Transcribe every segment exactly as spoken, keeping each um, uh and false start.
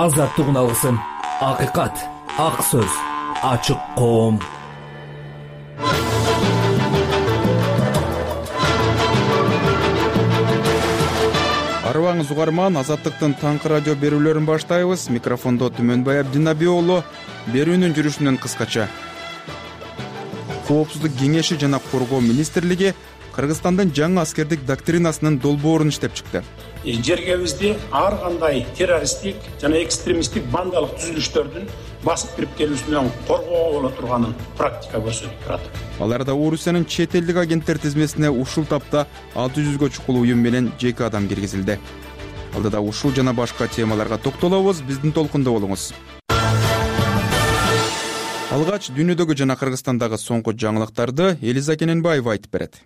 азаттыгын алгысың. Акыйкат, ак сөз, ачык коом. Арыбаңыз угарман, Азаттыктын таңкы радио берүүлөрүн баштайбыз. Микрофондо Түмөнбай Абдинаби уулу. Берүүнүн жүрүшүнөн кыскача. Коопсуздук кеңеши жана Коргоо министрлиги Кыргызстандын жаңы аскердик доктринасынын долбоорун иштеп чыкты. Жергебизде ар кандай террористтик жана экстремисттик бандалык түзүлүштөрдүн басып кирип келүүсүнөн коргоого боло турганын практика көрсөтүп турат. Аларда Орусиянын чет элдик агенттер тизмесине ушул тапта алты жүзгө чукул уюм менен жеке адам киргизилди. Алдыда ушул жана башка темаларга токтолобуз. Биздин толкунда болуңуз. Алгач дүйнөдөгү жана Кыргызстандагы соңку жаңылыктарды Элиза Кененбаева айтып берет.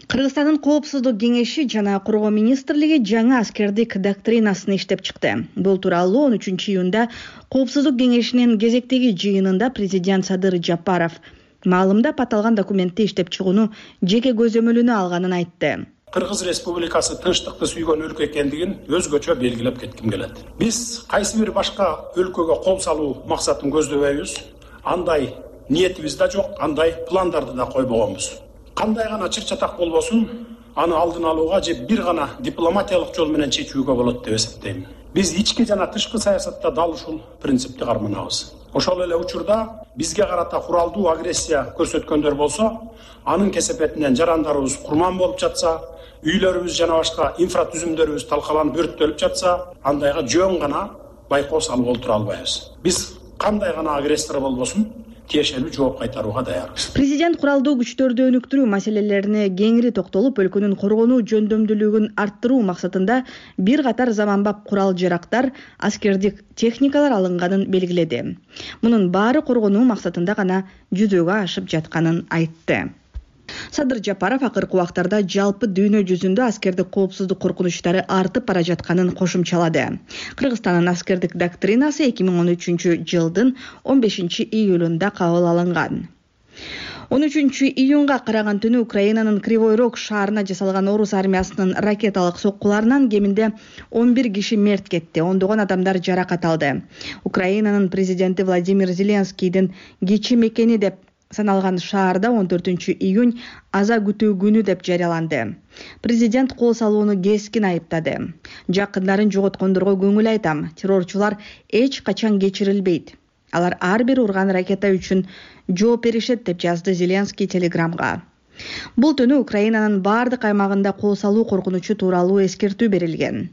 Кыргызстандын Коопсуздук кеңеши жана Коргоо министрлиги жаңы аскердик доктринасын иштеп чыкты. Бул тууралуу он үчүнчү июнда Коопсуздук кеңешинин кезектеги жыйынында президент Садыр Жапаров маалымдап аталган документти иштеп чыгууну жеке көзөмөлүнө алганын айтты. Кыргыз Республикасы тынчтыкты сүйгөн өлкө экендигин өзгөчө белгилеп кетким келет. Биз кайсы бир башка өлкөгө кол салуу максатын көздөбөйбүз. Андай ниетибиз да жок, андай пландарды да койбогонбуз. Кандай гана чыр-чатак болбосун, аны алдын алууга же бир гана дипломатиялык жол менен чечүүгө болот деп эсептейм. Биз ички жана тышкы саясатта дал ушул принципти карманабыз. Ошол эле учурда бизге карата куралдуу агрессия көрсөткөндөр болсо, анын кесепетинен жарандарыбыз курман болуп жатса, үйлөрүбүз жана башка инфратүзүмдөрүбүз талкаланып өрттөлүп жатса, андайга жөн гана байкоо салып олтура албайбыз. Биз кандай гана агрессор болбосун, тиешелүү жооп кайтарууга даярбыз. Президент куралдуу күчтөрдү өнүктүрүү маселелерине кеңири токтолуп, өлкөнүн коргонуу жөндөмдүүлүгүн арттыруу максатында бир катар заманбап курал-жарактар, аскердик техникалар алынганын белгиледи. Мунун баары коргонуу максатында гана жүзөгө ашып жатканын айтты. Садыр Жапаров акыркы убактарда жалпы дүйнө жүзүндө аскердик коопсуздук коркунучтары артып бара жатканын кошумчалады. Кыргызстандын аскердик доктринасы эки миң он үчүнчү жылдын он бешинчи июлунда кабыл алынган. он үчүнчү июнга караган түнү Украинанын Кривой Рог шаарына жасалган орус армиясынын ракеталык соккуларынан кеминде он бир киши мерт кетти, ондогон адамдар жаракат алды. Украинанын президенти Владимир Зеленскийдин кичи мекени деп саналган шаарда он төртүнчү июнь аза күтүү күнү деп жарыяланды. Президент кол салууну кескин айыптады. Жакындарын жоготкондорго көңүл айтам. Террорчулар эч качан кечирилбейт. Алар ар бир урган ракета үчүн жооп беришет деп жазды Зеленский телеграмга. Бул түнү Украинанын бардык аймагында кол салуу коркунучу тууралуу эскертүү берилген.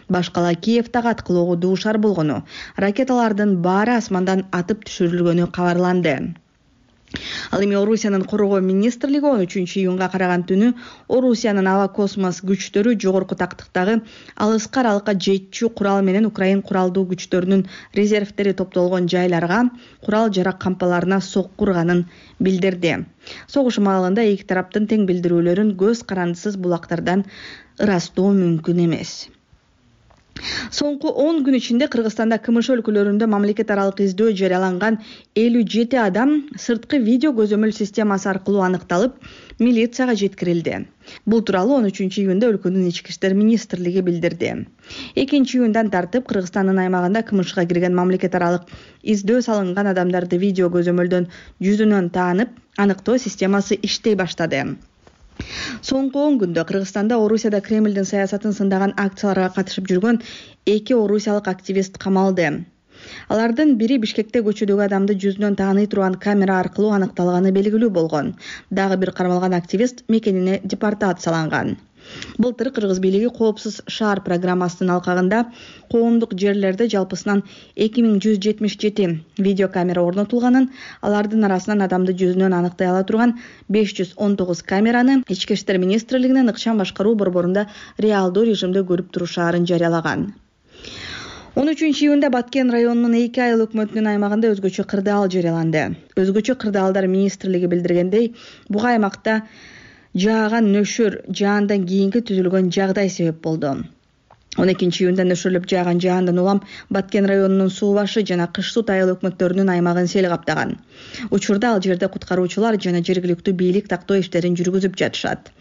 Башкала Киев тагат кылоого дуушар болгону, ракеталардын баары асмандан атып түшүрүлгөнү кабарланды. Ал эми Орусиянын Коргоо министрлиги он үчүнчү июнга караган түнү Орусиянын аба космос күчтөрү жогорку тактыктагы алыскы аралыкка жетчү курал менен Украин куралдуу күчтөрүнүн резервтери топтолгон жайларга, курал-жарак кампаларына сокку урганын билдирди. Согуш маалында эки тараптын тең билдирүүлөрүн көз карандысыз булактардан ырастоо мүмкүн эмес. Соңку он күн ичинде Кыргызстанда КМШ өлкөлөрүндө мамлекет аралык издөө жарыяланган элүү жети адам сырткы видео көзөмөл системасы аркылуу аныкталып, милицияга жеткирилди. Бул тууралуу он үчүнчү июнда өлкөнүн ички иштер министрлиги билдирди. экинчи июндан тартып Кыргызстандын аймагында КМШга кирген мамлекет аралык издөө салынган адамдарды видео көзөмөлдөн жүзүнөн таанып, аныктоо системасы иштей баштады. Соңку он күндө Кыргызстанда Орусияда Кремлдин саясатын сындаган акцияларга катышып жүргөн эки орусиялык активист камалды. Алардын бири Бишкекте көчөдөгү адамды жүзүнөн тааный турган камера аркылуу аныкталганы белгилүү болгон. Дагы бир кармалган активист мекенине депортацияланган. Былтыр Кыргыз бийлиги коопсуз шаар программасынын алкагында коомдук жерлерде жалпысынан эки миң жүз жетимиш жети видеокамера орнотулганын, алардын арасынан адамды жүзүнөн аныктай ала турган беш жүз он тогуз камераны Ички иштер министрлигинин ыкчам башкаруу борборунда реалдуу режимде көрүп турушаарын жарыялаган. он үчүнчү июнда Баткен районунун эки айыл өкмөтүнүн аймагында өзгөчө кырдаал жарыяланды. Өзгөчө кырдаалдар министрлиги билдиргендей, буга аймакта жааган нөшөр жаандан кийинки түзүлгөн жагдай себеп болду. он экинчи июнда нөшөрлөп жааган жаандан улам Баткен районунун суу башы жана кыш суу тайыл өкмөттөрүнүн аймагын сел каптаган. Учурда ал жерде куткаруучулар жана жергиликтүү бийлик тактоо иштерин жүргүзүп жатышат.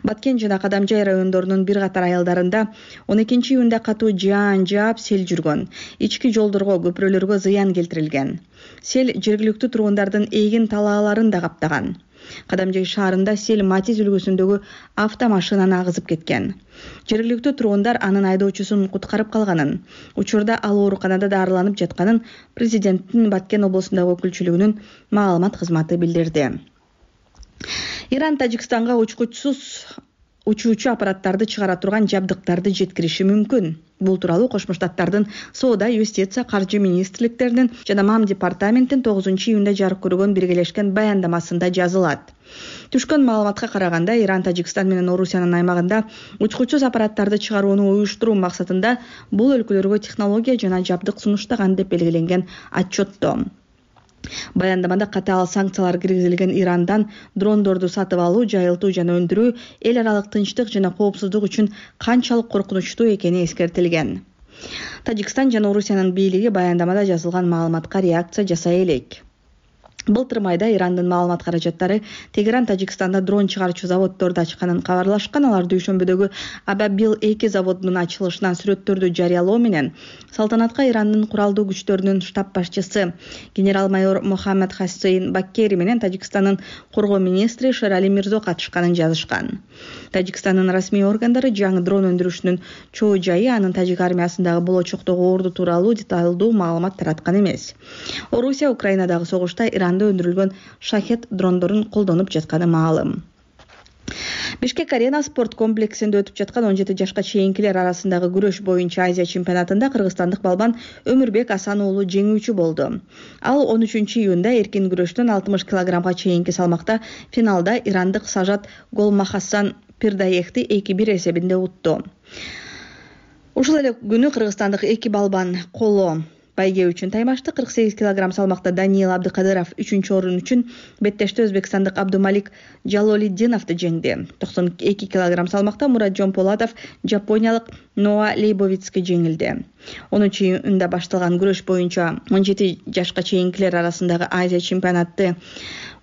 Баткен жана Кадамжай райондорунун бир катар айылдарында он экинчи июнда катуу жаан жаап сел жүргөн. Ички жолдорго, көпүрөлөргө зыян келтирилген. Сел жергиликтүү тургундардын эгин талааларын да каптаган. Кадамжай шаарында сел Матиз үлгүсүндөгү автомашинаны агызып кеткен. Жергиликтүү тургундар анын айдоочусун куткарып калганын, учурда ал ооруканада дарыланып жатканын президенттин Баткен облусундагы өкүлчүлүгүнүн маалымат кызматы билдирди. Иран Тажикстанга учкучсуз учуучу аппараттарды чыгара турган жабдыктарды жеткириши мүмкүн. Бул тууралуу Кошмо Штаттардын Соода, Юстиция, Каржы министрликтеринин жана МАМ департаментин тогузунчу июнда жарык көргөн биргелешкен баяндамасында жазылат. Түшкөн маалыматка караганда, Иран Тажикстан менен Орусиянын аймагында учкучсуз аппараттарды чыгарууну уюштуруу максатында бул өлкөлөргө технология жана жабдык сунуштаган деп белгиленген отчетто. Баяндамада катаал санкциялар киргизилген Ирандан дрондорду сатып алуу, жайылтуу жана өндүрүү эл аралык тынчтык жана коопсуздук үчүн канчалык коркунучтуу экени эскертилген. Тажикстан жана Орусиянын бийлиги баяндамада жазылган маалыматка реакция жасай элек. Былтыр майда Ирандын маалымат каражаттары Тегеран Тажикстанда дрон чыгарчу заводдорду ачканын кабарлашкан. Алар дүйшөмбүдөгү Абабил эки заводунун ачылышынан сүрөттөрдү жарыялоо менен салтанатка Ирандын куралдуу күчтөрүнүн штаб башчысы генерал-майор Мохаммед Хассейн Баккери менен Тажикстандын коргоо министри Шерали Мирзо катышканын жазышкан. Тажикстандын расмий органдары жаңы дрон өндүрүшүнүн чоо жайы, анын тажик армиясындагы болочоктогу орду тууралуу деталдуу маалымат тараткан эмес. Орусия Украинадагы согушта Иран өндүрүлгөн шахет дрондорун колдонуп жатканы маалым. Бишкек Арена спорт комплексинде өтүп жаткан он жети жашка чейинкилер арасындагы күрөш боюнча Азия чемпионатында кыргызстандык балбан Өмүрбек Асан уулу жеңүүчү болду. Ал он үчүнчү июнда эркин күрөштөн алтымыш килограммга чейинки салмакта финалда ирандык Сажат Голмахасан Пирдаехти эки бир эсебинде утту. Ушул эле күнү кыргызстандык эки балбан коло байге үчүн таймашты. кырк сегиз килограмм салмакта Даниил Абдыкадыров үчүнчү орун үчүн беттеште өзбекстандык Абдумалик Жалолиддиновду жеңди. токсон эки килограмм салмакта Муратжон Полатов жапониялык Ноа Лейбовицки жеңилди. онунчу июнда башталган күрөш боюнча он жети жашка чейинкилер арасындагы Азия чемпионаты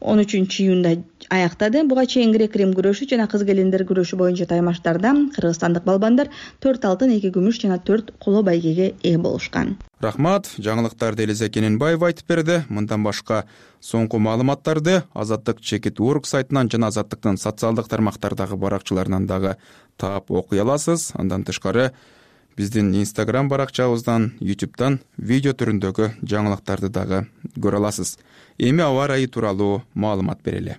он үчүнчү июнда аяктады. Буга чейин грек-рим күрөшү жана кыз келиндер күрөшү боюнча таймаштарда кыргызстандык балбандар төрт алтын, эки күмүш жана төрт коло байгеге ээ болушкан. Рахмат, жаңылыктарды Элиза Кененбаева айтып берди. Мындан башка соңку маалыматтарды Азаттык чекит орг сайтынан жана Азаттыктын социалдык тармактардагы баракчаларынан дагы таап окуй аласыз. Андан тышкары биздин Instagram баракчабыздан, YouTube'дан видео түрүндөгү жаңылыктарды дагы көрө аласыз. Эми аба ырайы тууралуу маалымат берели.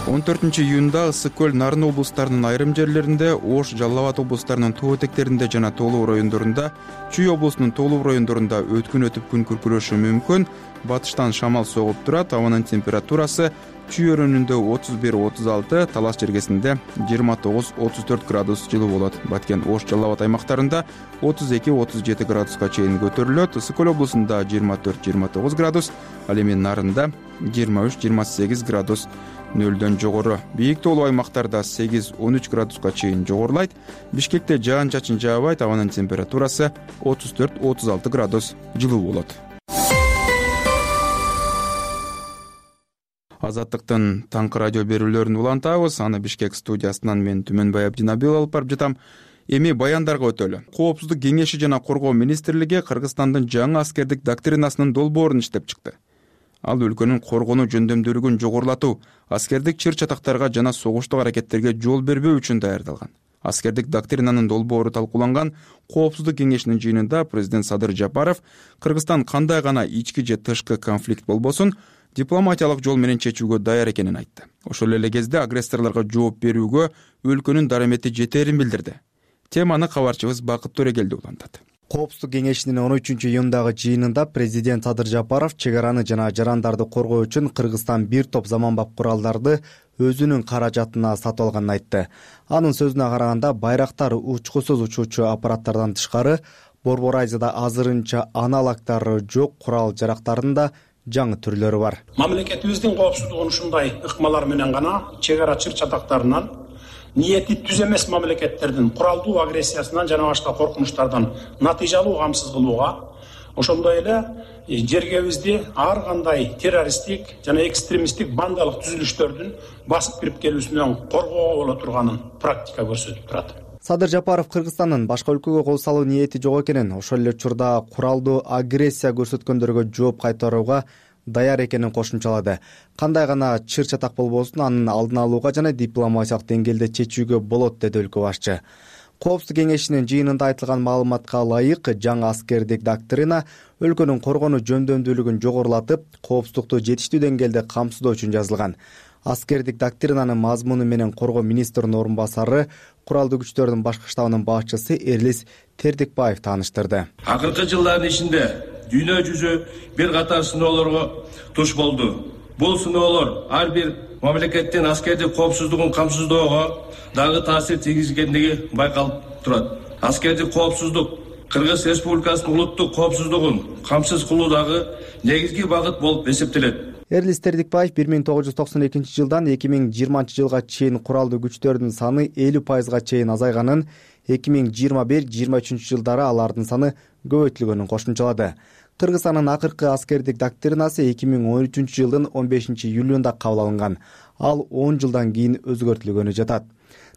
он төртүнчү июнда Ысык көл, Нарын облустарынын айрым жерлеринде, Ош, Жалал Абад облустарынын тоо этектеринде жана Тоолуу райондорунда, Чүй облусунун Тоолуу райондорунда өткүн өтүп күн күркүрөшү мүмкүн. Батыштан шамал согуп турат. Абанын температурасы Чүй өрөөнүндө отуз бир отуз алты, Талас жергесинде жыйырма тогуз отуз төрт градус жылуу болот. Баткен, Ош, Жалал Абад аймактарында отуз эки отуз жети градуска чейин көтөрүлөт. Ысык көл облусунда жыйырма төрт жыйырма тогуз градус, ал эми Нарында жыйырма үч жыйырма сегиз градус нөлдөн жогору. Бийик тоолуу аймактарда сегиз он үч градуска чейин жогорулайт. Бишкекте жаан чачын жаабайт. Абанын температурасы отуз төрт отуз алты градус жылуу болот. Азаттыктын таңкы радио берүүлөрүн улантабыз. Аны Бишкек студиясынан мен Түмөнбай Абдинабил алып барып жатам. Эми баяндарга өтөлү. Коопсуздук кеңеши жана коргоо министрлиги Кыргызстандын жаңы аскердик доктринасынын долбоорун иштеп чыкты. Ал өлкөнүн коргонуу жөндөмдүүлүгүн жогорулатуу, аскердик чыр-чатактарга жана согуштук аракеттерге жол бербөө үчүн даярдалган. Аскердик доктринанын долбоору талкууланган Коопсуздук кеңешинин жыйынында президент Садыр Жапаров Кыргызстан кандай гана ички же тышкы конфликт болбосун дипломатиялык жол менен чечүүгө даяр экенин айтты. Ошол эле кезде агрессорлорго жооп берүүгө өлкөнүн дарамети жетерин билдирди. Теманы кабарчыбыз Бакыт Төрегелди улантат. Коопсуздук кеңешинин он үчүнчү июндагы жыйынында президент Садыр Жапаров чек араны жана жарандарды коргоо үчүн Кыргызстан бир топ заманбап куралдарды өзүнүн каражатына сатып алганын айтты. Анын сөзүнө караганда, байрактар учкусуз учуучу аппараттардан тышкары Борбор Азияда азырынча аналогдору жок курал жарактардын да жаңы түрлөрү бар. Мамлекетибиздин коопсуздугун ушундай ыкмалар менен гана чек ара чыр-чатактарынан ниети түз эмес мамлекеттердин куралдуу агрессиясынан жана башка коркунучтардан натыйжалуу камсыз кылууга, ошондой эле жергебизди ар кандай террористтик жана экстремисттик бандалык түзүлүштөрдүн басып кирип келүүсүнөн коргоого боло турганын практика көрсөтүп турат. Садыр Жапаров Кыргызстандын башка өлкөгө кол салуу ниети жок экенин, ошол эле учурда куралдуу агрессия көрсөткөндөргө жооп кайтарууга даяр экенин кошумчалады. Кандай гана чыр чатак болбосун, анын алдын алууга жана дипломатиялык деңгээлде чечүүгө болот, деди өлкө башчы. Коопсуздук кеңешинин жыйынында айтылган маалыматка ылайык, жаңы аскердик доктрина өлкөнүн коргонуу жөндөмдүүлүгүн жогорулатып, коопсуздукту жетиштүү деңгээлде камсыздоо үчүн жазылган. Аскердик доктринанын мазмуну менен коргоо министринин орун басары, куралдуу күчтөрдүн башкы штабынын башчысы Эрлис Тердикбаев тааныштырды. Акыркы жылдардын ичинде дүйнө жүзү бир катар сыноолорго туш болду. Бул сыноолор ар бир мамлекеттин аскердик коопсуздугун камсыздоого дагы таасир тийгизгендиги байкалып турат. Аскердик коопсуздук Кыргыз Республикасынын улуттук коопсуздугун камсыз кылуудагы негизги багыт болуп эсептелет. Эрлис Тердикбаев бир миң тогуз жүз токсон экинчи жылдан эки миң жыйырманчы жылга чейин куралдуу күчтөрдүн саны элүү пайызга чейин азайганын, эки миң жыйырма бир жыйырма үчүнчү жылдары алардын саны көбөйтүлгөнүн кошумчалады. Кыргызстандын акыркы аскердик доктринасы эки миң он үчүнчү жылдын он бешинчи июлунда кабыл алынган. Ал он жылдан кийин өзгөртүлгөнү жатат.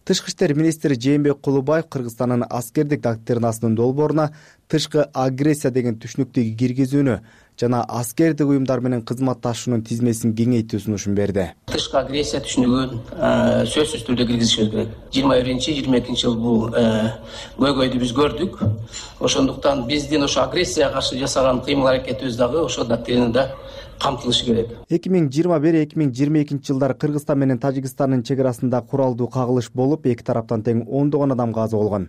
Тышкы иштер министри Жээнбек Кулубаев Кыргызстандын аскердик доктринасынын долбооруна тышкы агрессия деген түшүнүктү киргизүүнү жана аскердик уюмдар менен кызматташуунун тизмесин кеңейтүү сунушун берди. Тышкы агрессия түшүнүгүн сөзсүз түрдө киргизишибиз керек. жыйырма биринчи жыйырма экинчи жыл бул көйгөйдү биз көрдүк. Ошондуктан биздин ошо агрессияга каршы жасаган кыймыл аракетибиз дагы ошо доктринада камтылышы керек. эки миң жыйырма бир эки миң жыйырма экинчи жылдары Кыргызстан менен Тажикстандын чек арасында куралдуу кагылыш болуп, эки тараптан тең ондогон адам каза болгон.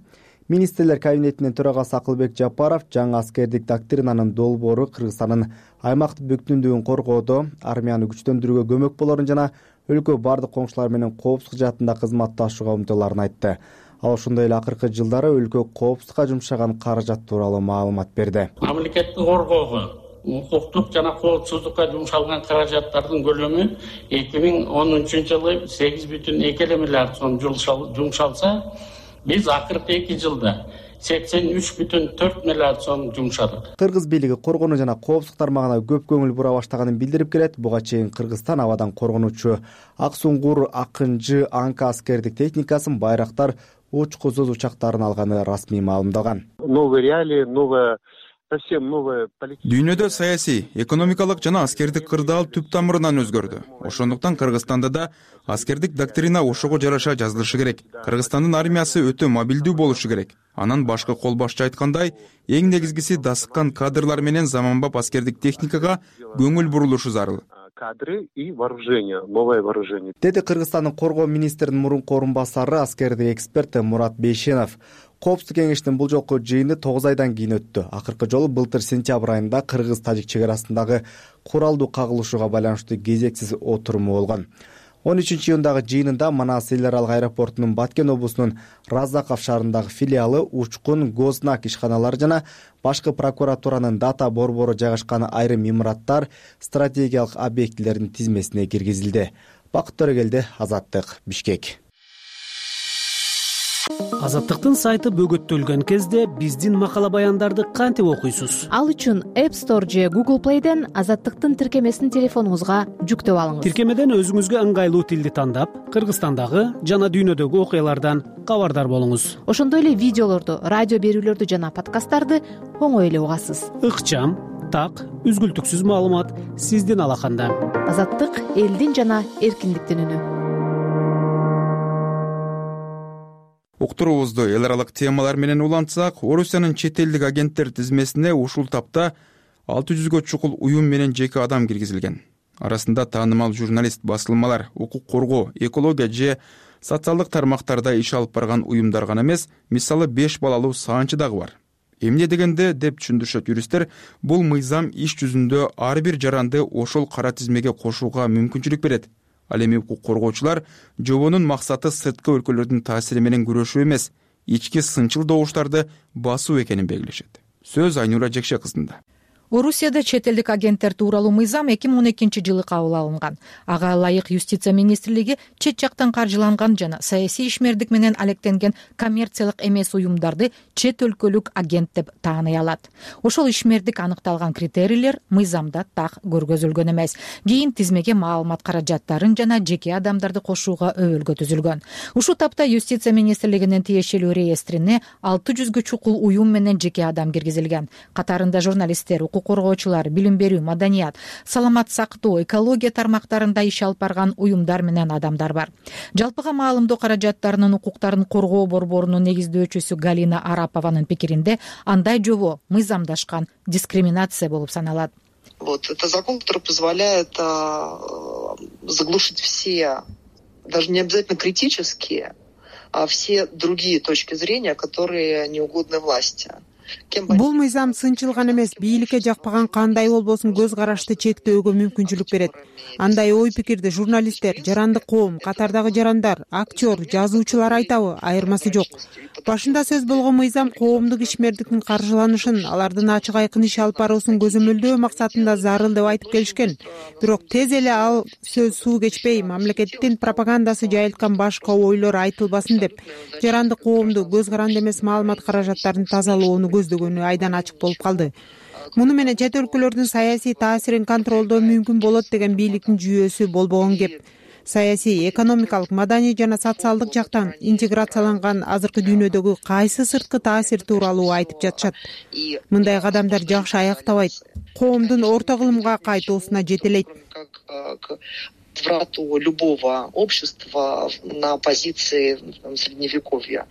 Министрлер кабинетинин төрагасы Акылбек Жапаров жаңы аскердик доктринанын долбоору Кыргызстандын аймактык бүткүндүгүн коргоодо, армияны күчтөндүрүүгө көмөк болорун жана өлкө бардык коңшулар менен коопсуздук жаатында кызматташууга умтулаарын айтты. Ал ошондой эле акыркы жылдары өлкө коопсуздукка жумшаган каражат тууралуу маалымат берди. Мамлекетти коргоого, укуктук жана коопсуздукка жумшалган каражаттардын көлөмү эки миң он үчүнчү жылы сегиз бүтүн эки миллиард сом жумшалса, биз акыркы эки жылда сексен үч бүтүн төрт миллиард сом жумшадык. Кыргыз бийлиги коргонуу жана коопсуздук тармагына көп көңүл бура баштаганын билдирип келет. Буга чейин Кыргызстан абадан коргонуучу Ак Суңгур, Акынжы, Анка аскердик техникасын, байрактар, учку зоз учактарын алганы расмий маалымдалган. Новые реалии, новая Дүйнөдө саясий, экономикалык жана аскердик кырдаал түп тамырынан өзгөрдү. Ошондуктан Кыргызстанда да аскердик доктрина ошого жараша жазылышы керек. Кыргызстандын армиясы өтө мобилдүү болушу керек. Анан башкы кол башчы айткандай, эң негизгиси дасыккан кадрлар менен заманбап аскердик техникага көңүл бурулушу зарыл. Кадры и вооружение, новое вооружение. Деди Кыргызстандын коргоо министринин мурунку орун басары, аскердик эксперт Мурат Бейшенов. Коопсуздук кеңештин бул жолку жыйыны тогуз айдан кийин өттү. Акыркы жолу былтыр сентябрь айында Кыргыз-Тажик чек арасындагы куралдуу кагылышууга байланыштуу кезексиз отуруму болгон. он үчүнчү июндагы жыйынында Манас эл аралык аэропортунун Баткен облусунун Разаков шаарындагы филиалы, Учкун, Гознак ишканалары жана башкы прокуратуранын дата борбору жайгашкан айрым имараттар, стратегиялык объектилердин тизмесине киргизилди. Бакыт Төрөгелди, Азаттык, Бишкек. Азаттыктын сайты бөгөттөлгөн кезде биздин макала баяндарды кантип окуйсуз? Ал үчүн App Store же Google Play'ден Азаттыктын тиркемесин телефонуңузга жүктөп алыңыз. Тиркемеден өзүңүзгө ыңгайлуу тилди тандап, Кыргызстандагы жана дүйнөдөгү окуялардан кабардар болуңуз. Ошондой эле видеолорду, радио берүүлөрдү жана подкасттарды оңой эле угасыз. Ыкчам, так, үзгүлтүксүз маалымат сиздин алаканда. Азаттык элдин жана эркиндиктин үнү. Уктуруубузду эл аралык темалар менен улантсак, Орусиянын чет элдик агенттер тизмесине ушул тапта алты жүзгө чукул уюм менен жеке адам киргизилген. Арасында таанымал журналист, басылмалар, укук коргоо, экология же социалдык тармактарда иш алып барган уюмдар гана эмес, мисалы беш балалуу саанчы дагы бар. Эмне дегенде, деп түшүндүрүшөт юристтер, бул мыйзам иш жүзүндө ар бир жаранды ошол кара тизмеге кошууга мүмкүнчүлүк берет. Ал эми укук коргоочулар жобонун максаты сырткы өлкөлөрдүн таасири менен күрөшүү эмес, ички сынчыл добуштарды басуу экенин белгилешет. Сөз Айнура Жекше кызында. Орусияда чет элдик агенттер тууралуу мыйзам эки миң он экинчи жылы кабыл алынган. Ага ылайык юстиция министрлиги чет жактан каржыланган жана саясий ишмердик менен алектенген коммерциялык эмес уюмдарды чет өлкөлүк агент деп тааный алат. Ошол ишмердик аныкталган критерийлер мыйзамда так көргөзүлгөн эмес. Кийин тизмеге маалымат каражаттарын жана жеке адамдарды кошууга өбөлгө түзүлгөн. Ушул тапта юстиция министрлигинин тиешелүү реестрине алты жүзгө чукул уюм менен жеке адам киргизилген. Катарында журналисттер, укук коргоочулар, билим берүү, маданият, саламат сактоо, экология тармактарында иш алып барган уюмдар менен адамдар бар. Жалпыга маалымдоо каражаттарынын укуктарын коргоо борборунун негиздөөчүсү Галина Арапованын пикиринде андай жобо мыйзамдашкан дискриминация болуп саналат. Вот это закон, который позволяет а, заглушить все, даже не обязательно критические, а все другие точки зрения, которые не угодны власти. Бул мыйзам сынчылган эмес, бийликке жакпаган кандай болбосун көз карашты чектөөгө мүмкүнчүлүк берет. Андай ой пикирди журналисттер, жарандык коом, катардагы жарандар, актер, жазуучулар айтабы, айырмасы жок. Башында сөз болгон мыйзам коомдук ишмердиктин каржыланышын, алардын ачык айкын иш алып баруусун көзөмөлдөө максатында зарыл деп айтып келишкен. Бирок тез эле ал сөз суу кечпей, мамлекеттин пропагандасы жайылткан башка ойлор айтылбасын деп, жарандык коомду көз каранды эмес маалымат каражаттарын тазалоону көздөгөнү айдан ачык болуп калды. Муну менен чет өлкөлөрдүн саясий таасирин контролдоо мүмкүн болот деген бийликтин жүйөсү болбогон кеп. Саясий, экономикалык, маданий жана социалдык жактан интеграцияланган азыркы дүйнөдөгү кайсы сырткы таасир тууралуу айтып жатышат. Мындай кадамдар жакшы аяктабайт, коомдун орто кылымга кайтуусуна жетелейт. Врату любого общества на позиции средневековья.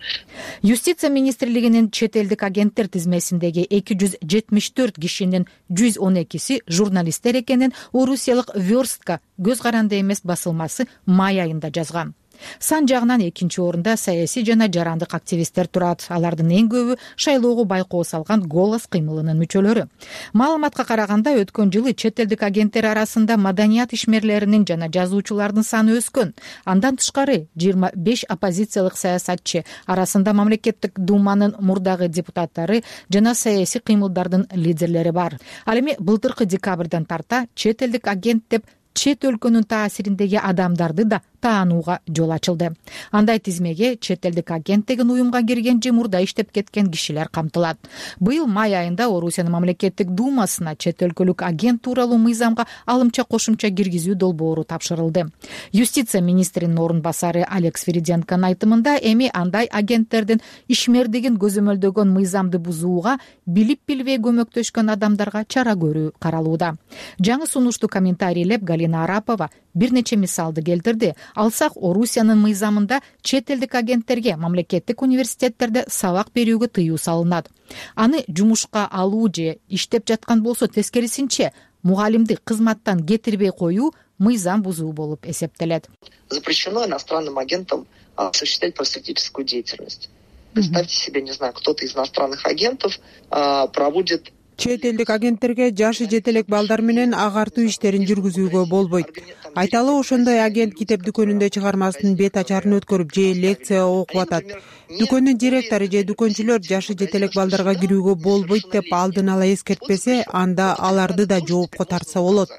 Юстиция министрлигинин чет элдик агенттер тизмесиндеги эки жүз жетимиш төрт кишинин жүз он экиси журналисттер экенин орусиялык Верстка көз каранды эмес басылмасы май айында жазган. Сан жагынан экинчи орунда саясий жана жарандык активисттер турат. Алардын эң көбү шайлоого байкоо салган Голос кыймылынын мүчөлөрү. Маалыматка караганда өткөн жылы чет элдик агенттер арасында маданият ишмерлеринин жана жазуучулардын саны өскөн. Андан тышкары жыйырма беш оппозициялык саясатчы, арасында мамлекеттик думанын мурдагы депутаттары жана саясий кыймылдардын лидерлери бар. Ал эми былтыркы декабрдан тарта чет элдик агент деп чет өлкөнүн таасириндеги адамдарды да таанууга жол ачылды. Андай тизмеге чет элдик агент деген уюмга кирген же мурда иштеп кеткен кишилер камтылат. Быйыл май айында Орусиянын мамлекеттик думасына чет өлкөлүк агент тууралуу мыйзамга алымча кошумча киргизүү долбоору тапшырылды. Юстиция министринин орун басары Алекс Фериденконун айтымында эми андай агенттердин ишмердигин көзөмөлдөгөн мыйзамды бузууга билип билбей көмөктөшкөн адамдарга чара көрүү каралууда. Жаңы сунушту комментарийлеп Галина Арапова бир нече мисалды келтирди. Алсак, Орусиянын мыйзамында чет элдик агенттерге мамлекеттик университеттерде сабак берүүгө тыюу салынат. Аны жумушка алуу же иштеп жаткан болсо тескерисинче мугалимди кызматтан кетирбей коюу мыйзам бузуу болуп эсептелет. Запрещено иностранным агентам осуществлять просветительскую деятельность. Представьте себе, не знаю, кто-то из иностранных агентов проводит чет элдик агенттерге жашы жете элек балдар менен агартуу иштерин жүргүзүүгө болбойт. Айталы ошондой агент китеп дүкөнүндө чыгармасынын бет ачарын өткөрүп же лекция окуп атат. Дүкөндүн директору же дүкөнчүлөр жашы жете элек балдарга кирүүгө болбойт деп алдын ала эскертпесе, анда аларды да жоопко тартса болот.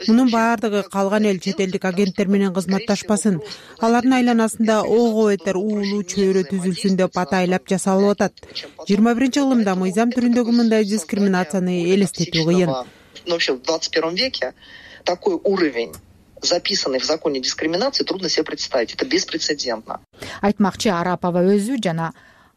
Мунун баардыгы калган эл чет элдик агенттер менен кызматташпасын, алардын айланасында ого бетер уулуу чөйрө түзүлсүн деп атайлап жасалып атат. жыйырма биринчи кылымда мыйзам түрүндөгү мындай дискриминацияны элестетүү кыйын. Вообще в двадцать первом веке такой уровень записанный в законе дискриминации трудно себе представить. Это беспрецедентно. Айтмакчы, Арапова өзү жана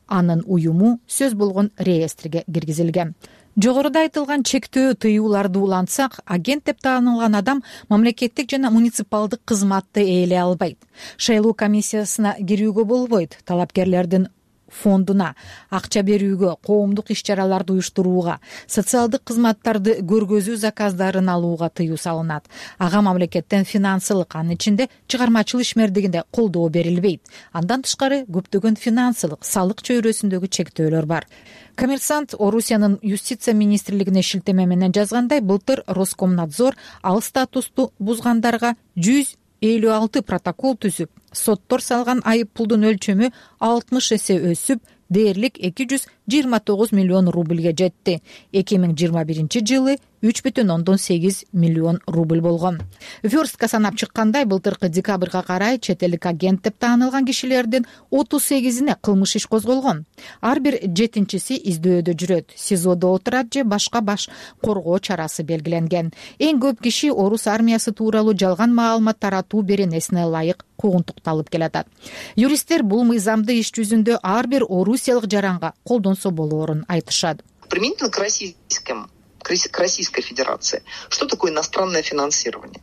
анын уюму сөз болгон реестриге киргизилген. Жогоруда айтылган чектөө тыюуларды улантсак, агент деп таанылган адам мамлекеттик жана муниципалдык кызматты ээлей албайт. Шайлоо комиссиясына кирүүгө болбойт. Талапкерлердин фондуна акча берүүгө, коомдук иш-чараларды уюштурууга, социалдык кызматтарды көргөзүү заказдарын алууга тыюу салынат. Ага мамлекеттен финансылык, анын ичинде чыгармачылык ишмердигинде колдоо берилбейт. Андан тышкары көптөгөн финансылык, салык чөйрөсүндөгү чектөөлөр бар. Коммерсант Орусиянын юстиция министрлигине шилтеме менен жазгандай, былтыр Роскомнадзор ал статусту бузгандарга жүз элүү алты протокол түзүп, соттор салган айып пулдун өлчөмү алтымыш эсе өсүп, дээрлик эки жүз жыйырма тогуз миллион рубльге жетти. эки миң жыйырма биринчи жылы үч бүтүн ондон сегиз миллион рубль болгон. Верстка санап чыккандай, былтыркы декабрга карай чет элдик агент деп таанылган кишилердин отуз сегизине кылмыш иш козголгон. Ар бир жетинчиси издөөдө жүрөт, сизодо отурат же башка баш коргоо чарасы белгиленген. Эң көп киши орус армиясы тууралуу жалган маалымат таратуу беренесине ылайык куугунтукталып келатат. Юристтер бул мыйзамды иш жүзүндө ар бир орусиялык жаранга колдонсо болоорун айтышат. Применительно к российским к Российской Федерации. Что такое иностранное финансирование?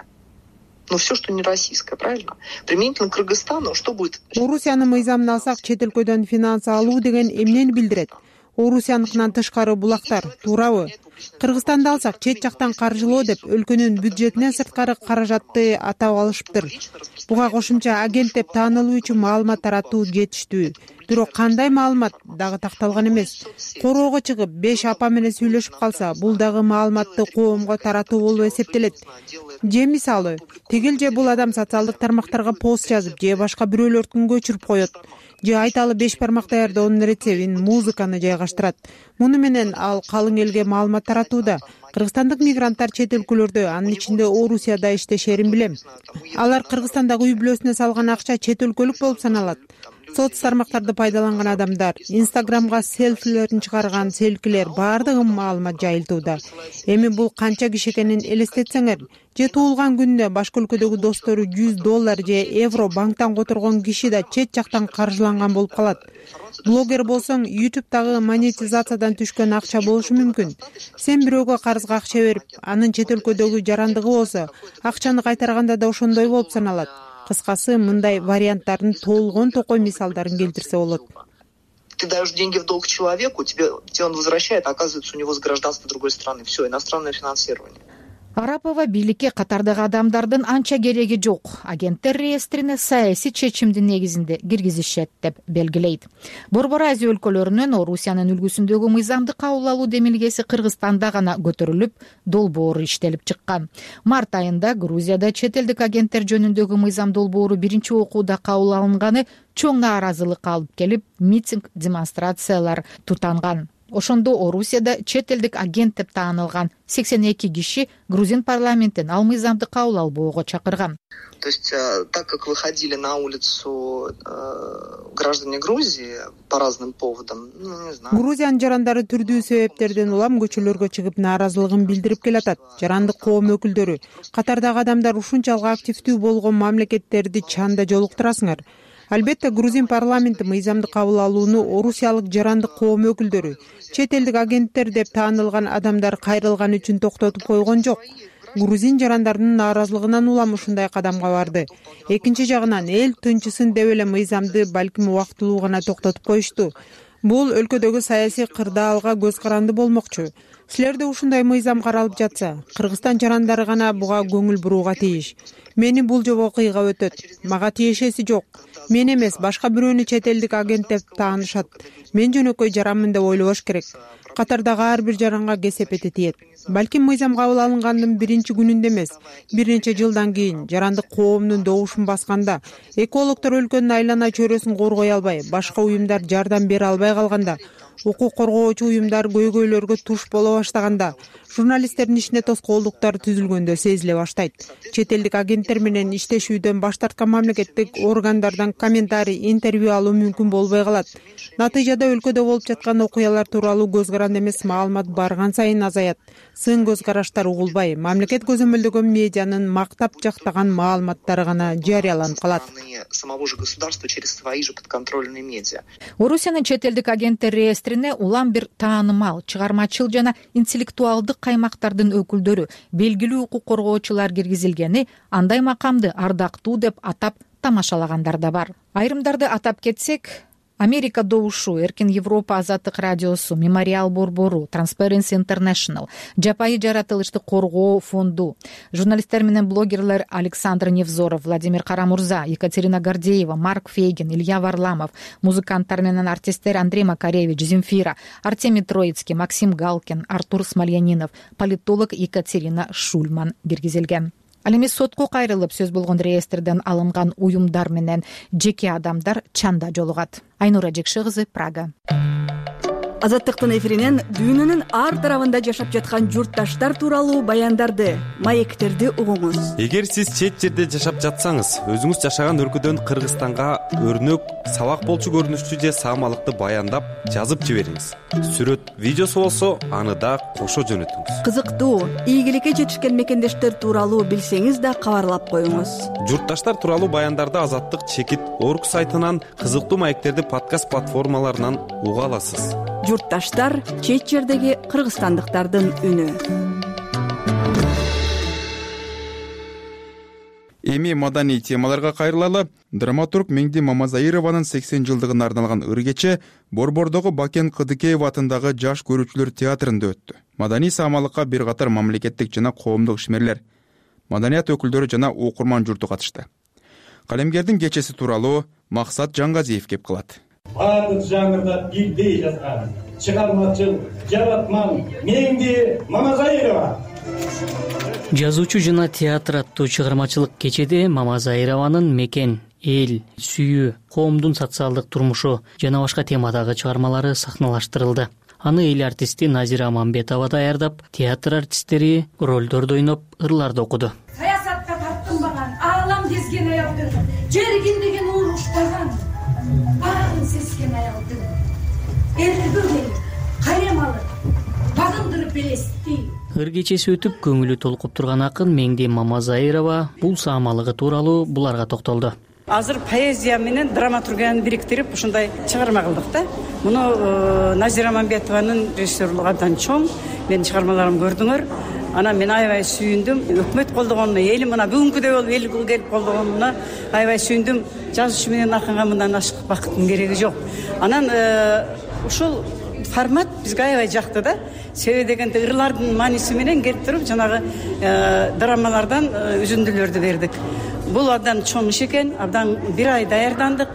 Ну, все, что не российское, правильно? Применительно к Кыргызстану, что будет? Орусиянын мыйзамын алсак, чет өлкөдөн финанс алуу деген эмнени билдирет? Орусияныкынан тышкары булактар, туурабы? Кыргызстанды алсак, чет жактан каржылоо деп өлкөнүн бюджетинен сырткары каражатты атап алышыптыр. Буга кошумча агент деп таанылуу үчүн маалымат таратуу жетиштүү. Бирок кандай маалымат дагы такталган эмес. Короого чыгып беш апа менен сүйлөшүп калса, бул дагы маалыматты коомго таратуу болуп эсептелет. Же мисалы, тигил же бул адам социалдык тармактарга пост жазып, же башка бирөөлөрдүн көчүрүп коет. Же айталы беш бармак даярдоонун рецептин, музыканы жайгаштырат. Муну менен ал калың элге маалымат таратууда. Кыргызстандык мигранттар чет өлкөлөрдө, анын ичинде Орусияда иштешерин билем. Алар Кыргызстандагы үй бүлөсүнө салган акча чет өлкөлүк болуп саналат. Соц тармактарды пайдаланган адамдар, Инстаграмга селфилерин чыгарган селкилер баардыгы маалымат жайылтууда. Эми бул канча киши экенин элестетсеңер, же туулган күнүнө башка өлкөдөгү достору жүз доллар же евро банктан которгон киши да чет жактан каржыланган болуп калат. Блогер болсоң, ютубтагы монетизациядан түшкөн акча болушу мүмкүн. Сен бирөөгө карызга акча берип, анын чет өлкөдөгү жарандыгы болсо, акчаны кайтарганда да ошондой болуп саналат. Кыскасы, мындай варианттардын толгон токой мисалдарын келтирсе болот. Ты даешь деньги в долг человеку, тебе, тебе он возвращает, а оказывается, у него с гражданства другой страны. Все, иностранное финансирование. Арапова бийликке катардагы адамдардын анча кереги жок. Агенттер реестрине саясий чечимдин негизинде киргизишет деп белгилейт. Борбор Азия өлкөлөрүнөн Орусиянын үлгүсүндөгү мыйзамды кабыл алуу демилгеси Кыргызстанда гана көтөрүлүп, долбоору иштелип чыккан. Март айында Грузияда чет элдик агенттер жөнүндөгү мыйзам долбоору биринчи окууда кабыл алынганы чоң нааразылык алып келип, митинг, демонстрациялар тутанган. Ошондо Орусияда чет элдик агент деп таанылган сексен эки киши грузин парламентин ал мыйзамды кабыл албоого чакырган. То есть, так как выходили на улицу граждане Грузии по разным поводам, ну, не знаю. Грузиянын жарандары түрдүү себептерден улам көчөлөргө чыгып нааразылыгын билдирип келатат. Жарандык коом өкүлдөрү, катардагы адамдар ушунчалык активдүү болгон мамлекеттерди чанда жолуктурасыңар. Албетте, грузин парламенти мыйзамды кабыл алууну орусиялык жарандык коом өкүлдөрү, чет элдик агенттер деп таанылган адамдар кайрылган үчүн токтотуп койгон жок. Грузин жарандарынын нааразылыгынан улам ушундай кадамга барды. Экинчи жагынан эл тынчысын деп эле мыйзамды балким убактылуу гана токтотуп коюшту. Бул өлкөдөгү саясий кырдаалга көз каранды болмокчу. Силерде ушундай мыйзам каралып жатса, Кыргызстан жарандары гана буга көңүл бурууга тийиш. Мени бул жобо кыйгап өтөт. Мага тиешеси жок. Мен эмес, башка бирөөнү чет элдик агент деп таанышат. Мен жөнөкөй жаранмын деп ойлобош керек. Катардагы ар бир жаранга кесепети тиет. Балким мыйзам кабыл алынгандын биринчи күнүндө эмес, бир нече жылдан кийин жарандык коомдун добушун басканда, экологдор өлкөнүн айлана чөйрөсүн коргой албай, башка уюмдар жардам бере албай калганда, укук коргоочу уюмдар көйгөйлөргө туш боло баштаганда, журналисттердин ишине тоскоолдуктар түзүлгөндө сезиле баштайт. Чет элдик агенттер менен иштешүүдөн баш тарткан мамлекеттик органдардан комментарий, интервью алуу мүмкүн болбой калат. Натыйжада өлкөдө болуп жаткан окуялар тууралуу көз каранды эмес маалымат барган сайын азаят. Сын көз караштар угулбай, мамлекет көзөмөлдөгөн медианын мактап жактаган маалыматтары гана жарыяланып калат. Самого же государства через свои же подконтрольные медиа. Орусиянын чет элдик агенттер реестрине улам бир таанымал, чыгармачыл жана интеллектуалдык каймактардын өкүлдөрү, белгилүү укук коргоочулар киргизилгени андай макамды ардактуу деп атап тамашалагандар да бар. Айрымдарды атап кетсек, Америка добушу, Эркин Европа азаттык радиосу, Мемориал борбору, Transparency International, Жапайы жаратылышты коргоо фонду, журналисттер менен блогерлер Александр Невзоров, Владимир Карамурза, Екатерина Гордеева, Марк Фейгин, Илья Варламов, музыканттар менен артисттер Андрей Макаревич, Земфира, Артемий Троицкий, Максим Галкин, Артур Смольянинов, политолог Екатерина Шульман киргизилген. Ал эми сотко кайрылып сөз болгон реестрден алынган уюмдар менен жеке адамдар чанда жолугат. Айнура Жекши кызы, Прага. Азаттыктын эфиринен дүйнөнүн ар тарабында жашап жаткан журтташтар тууралуу баяндарды, маектерди угуңуз. Эгер сиз чет жерде жашап жатсаңыз, өзүңүз жашаган өлкөдөн Кыргызстанга өрнөк, сабак болчу көрүнүштүү же саамалыкты баяндап жазып жибериңиз. Сүрөт, видеосу болсо, аны да кошо жөнөтүңүз. Кызыктуу, ийгиликке жетишкен мекендештер тууралуу билсеңиз да кабарлап коюңуз. Журтташтар тууралуу баяндарды Азаттык чекит орг сайтынан, кызыктуу маектерди подкаст платформаларынан уга аласыз. Журтташтар — чет жердеги кыргызстандыктардын үнү. Эми маданий темаларга кайрылалы. Драматург Меңди Мамазаированын сексен жылдыгына арналган ыр-кече Борбордогу Бакен Кыдыкеев атындагы Жаш көрүүчүлөр театрында өттү. Маданий саамалыкка бир катар мамлекеттик жана коомдук ишмерлер, маданият өкүлдөрү жана окурман журту катышты. Калемгердин кечеси тууралуу Максат Жаңгазиев кеп кылат. Бардык жаңырда бирдей жазган чыгармачыл жаратман Меңди Мамазаирова. Жазуучу жана театр аттуу чыгармачылык кечеде Мамазаированын мекен, эл, сүйүү, коомдун социалдык турмушу жана башка темадагы чыгармалары сахналаштырылды. Аны эл артисти Назира Аманбетова даярдап, театр артисттери ролдорду ойноп, ырларды окуду. Саясатка тартынбаган, аалам кезген аялдын, жергиндеген уруштаган, баарын сезген аялдын, эргөген, кайрем алып, багындырып элести. Ыр кечеси өтүп, көңүлү толкуп турган акын Меңди Мамазаирова бул саамалыгы тууралуу буларга токтолду. Азыр поэзия менен драматургияны бириктирип ушундай чыгарма кылдык да. Муну Назира Аманбетованын режиссерлугу абдан чоң. Менин чыгармаларымды көрдүңөр. Анан мен аябай сүйүндүм. Өкмөт колдогонуна, элим мына бүгүнкүдөй болуп эл келип колдогонуна аябай сүйүндүм. Жазуучу менен акынга мындан ашык бакыттын кереги жок. Анан ушул формат бизге аябай жакты да. Себеби дегенде ырлардын мааниси менен келип туруп жанагы драмалардан үзүндүлөрдү бердик. Бул абдан чоң иш экен, абдан бир ай даярдандык.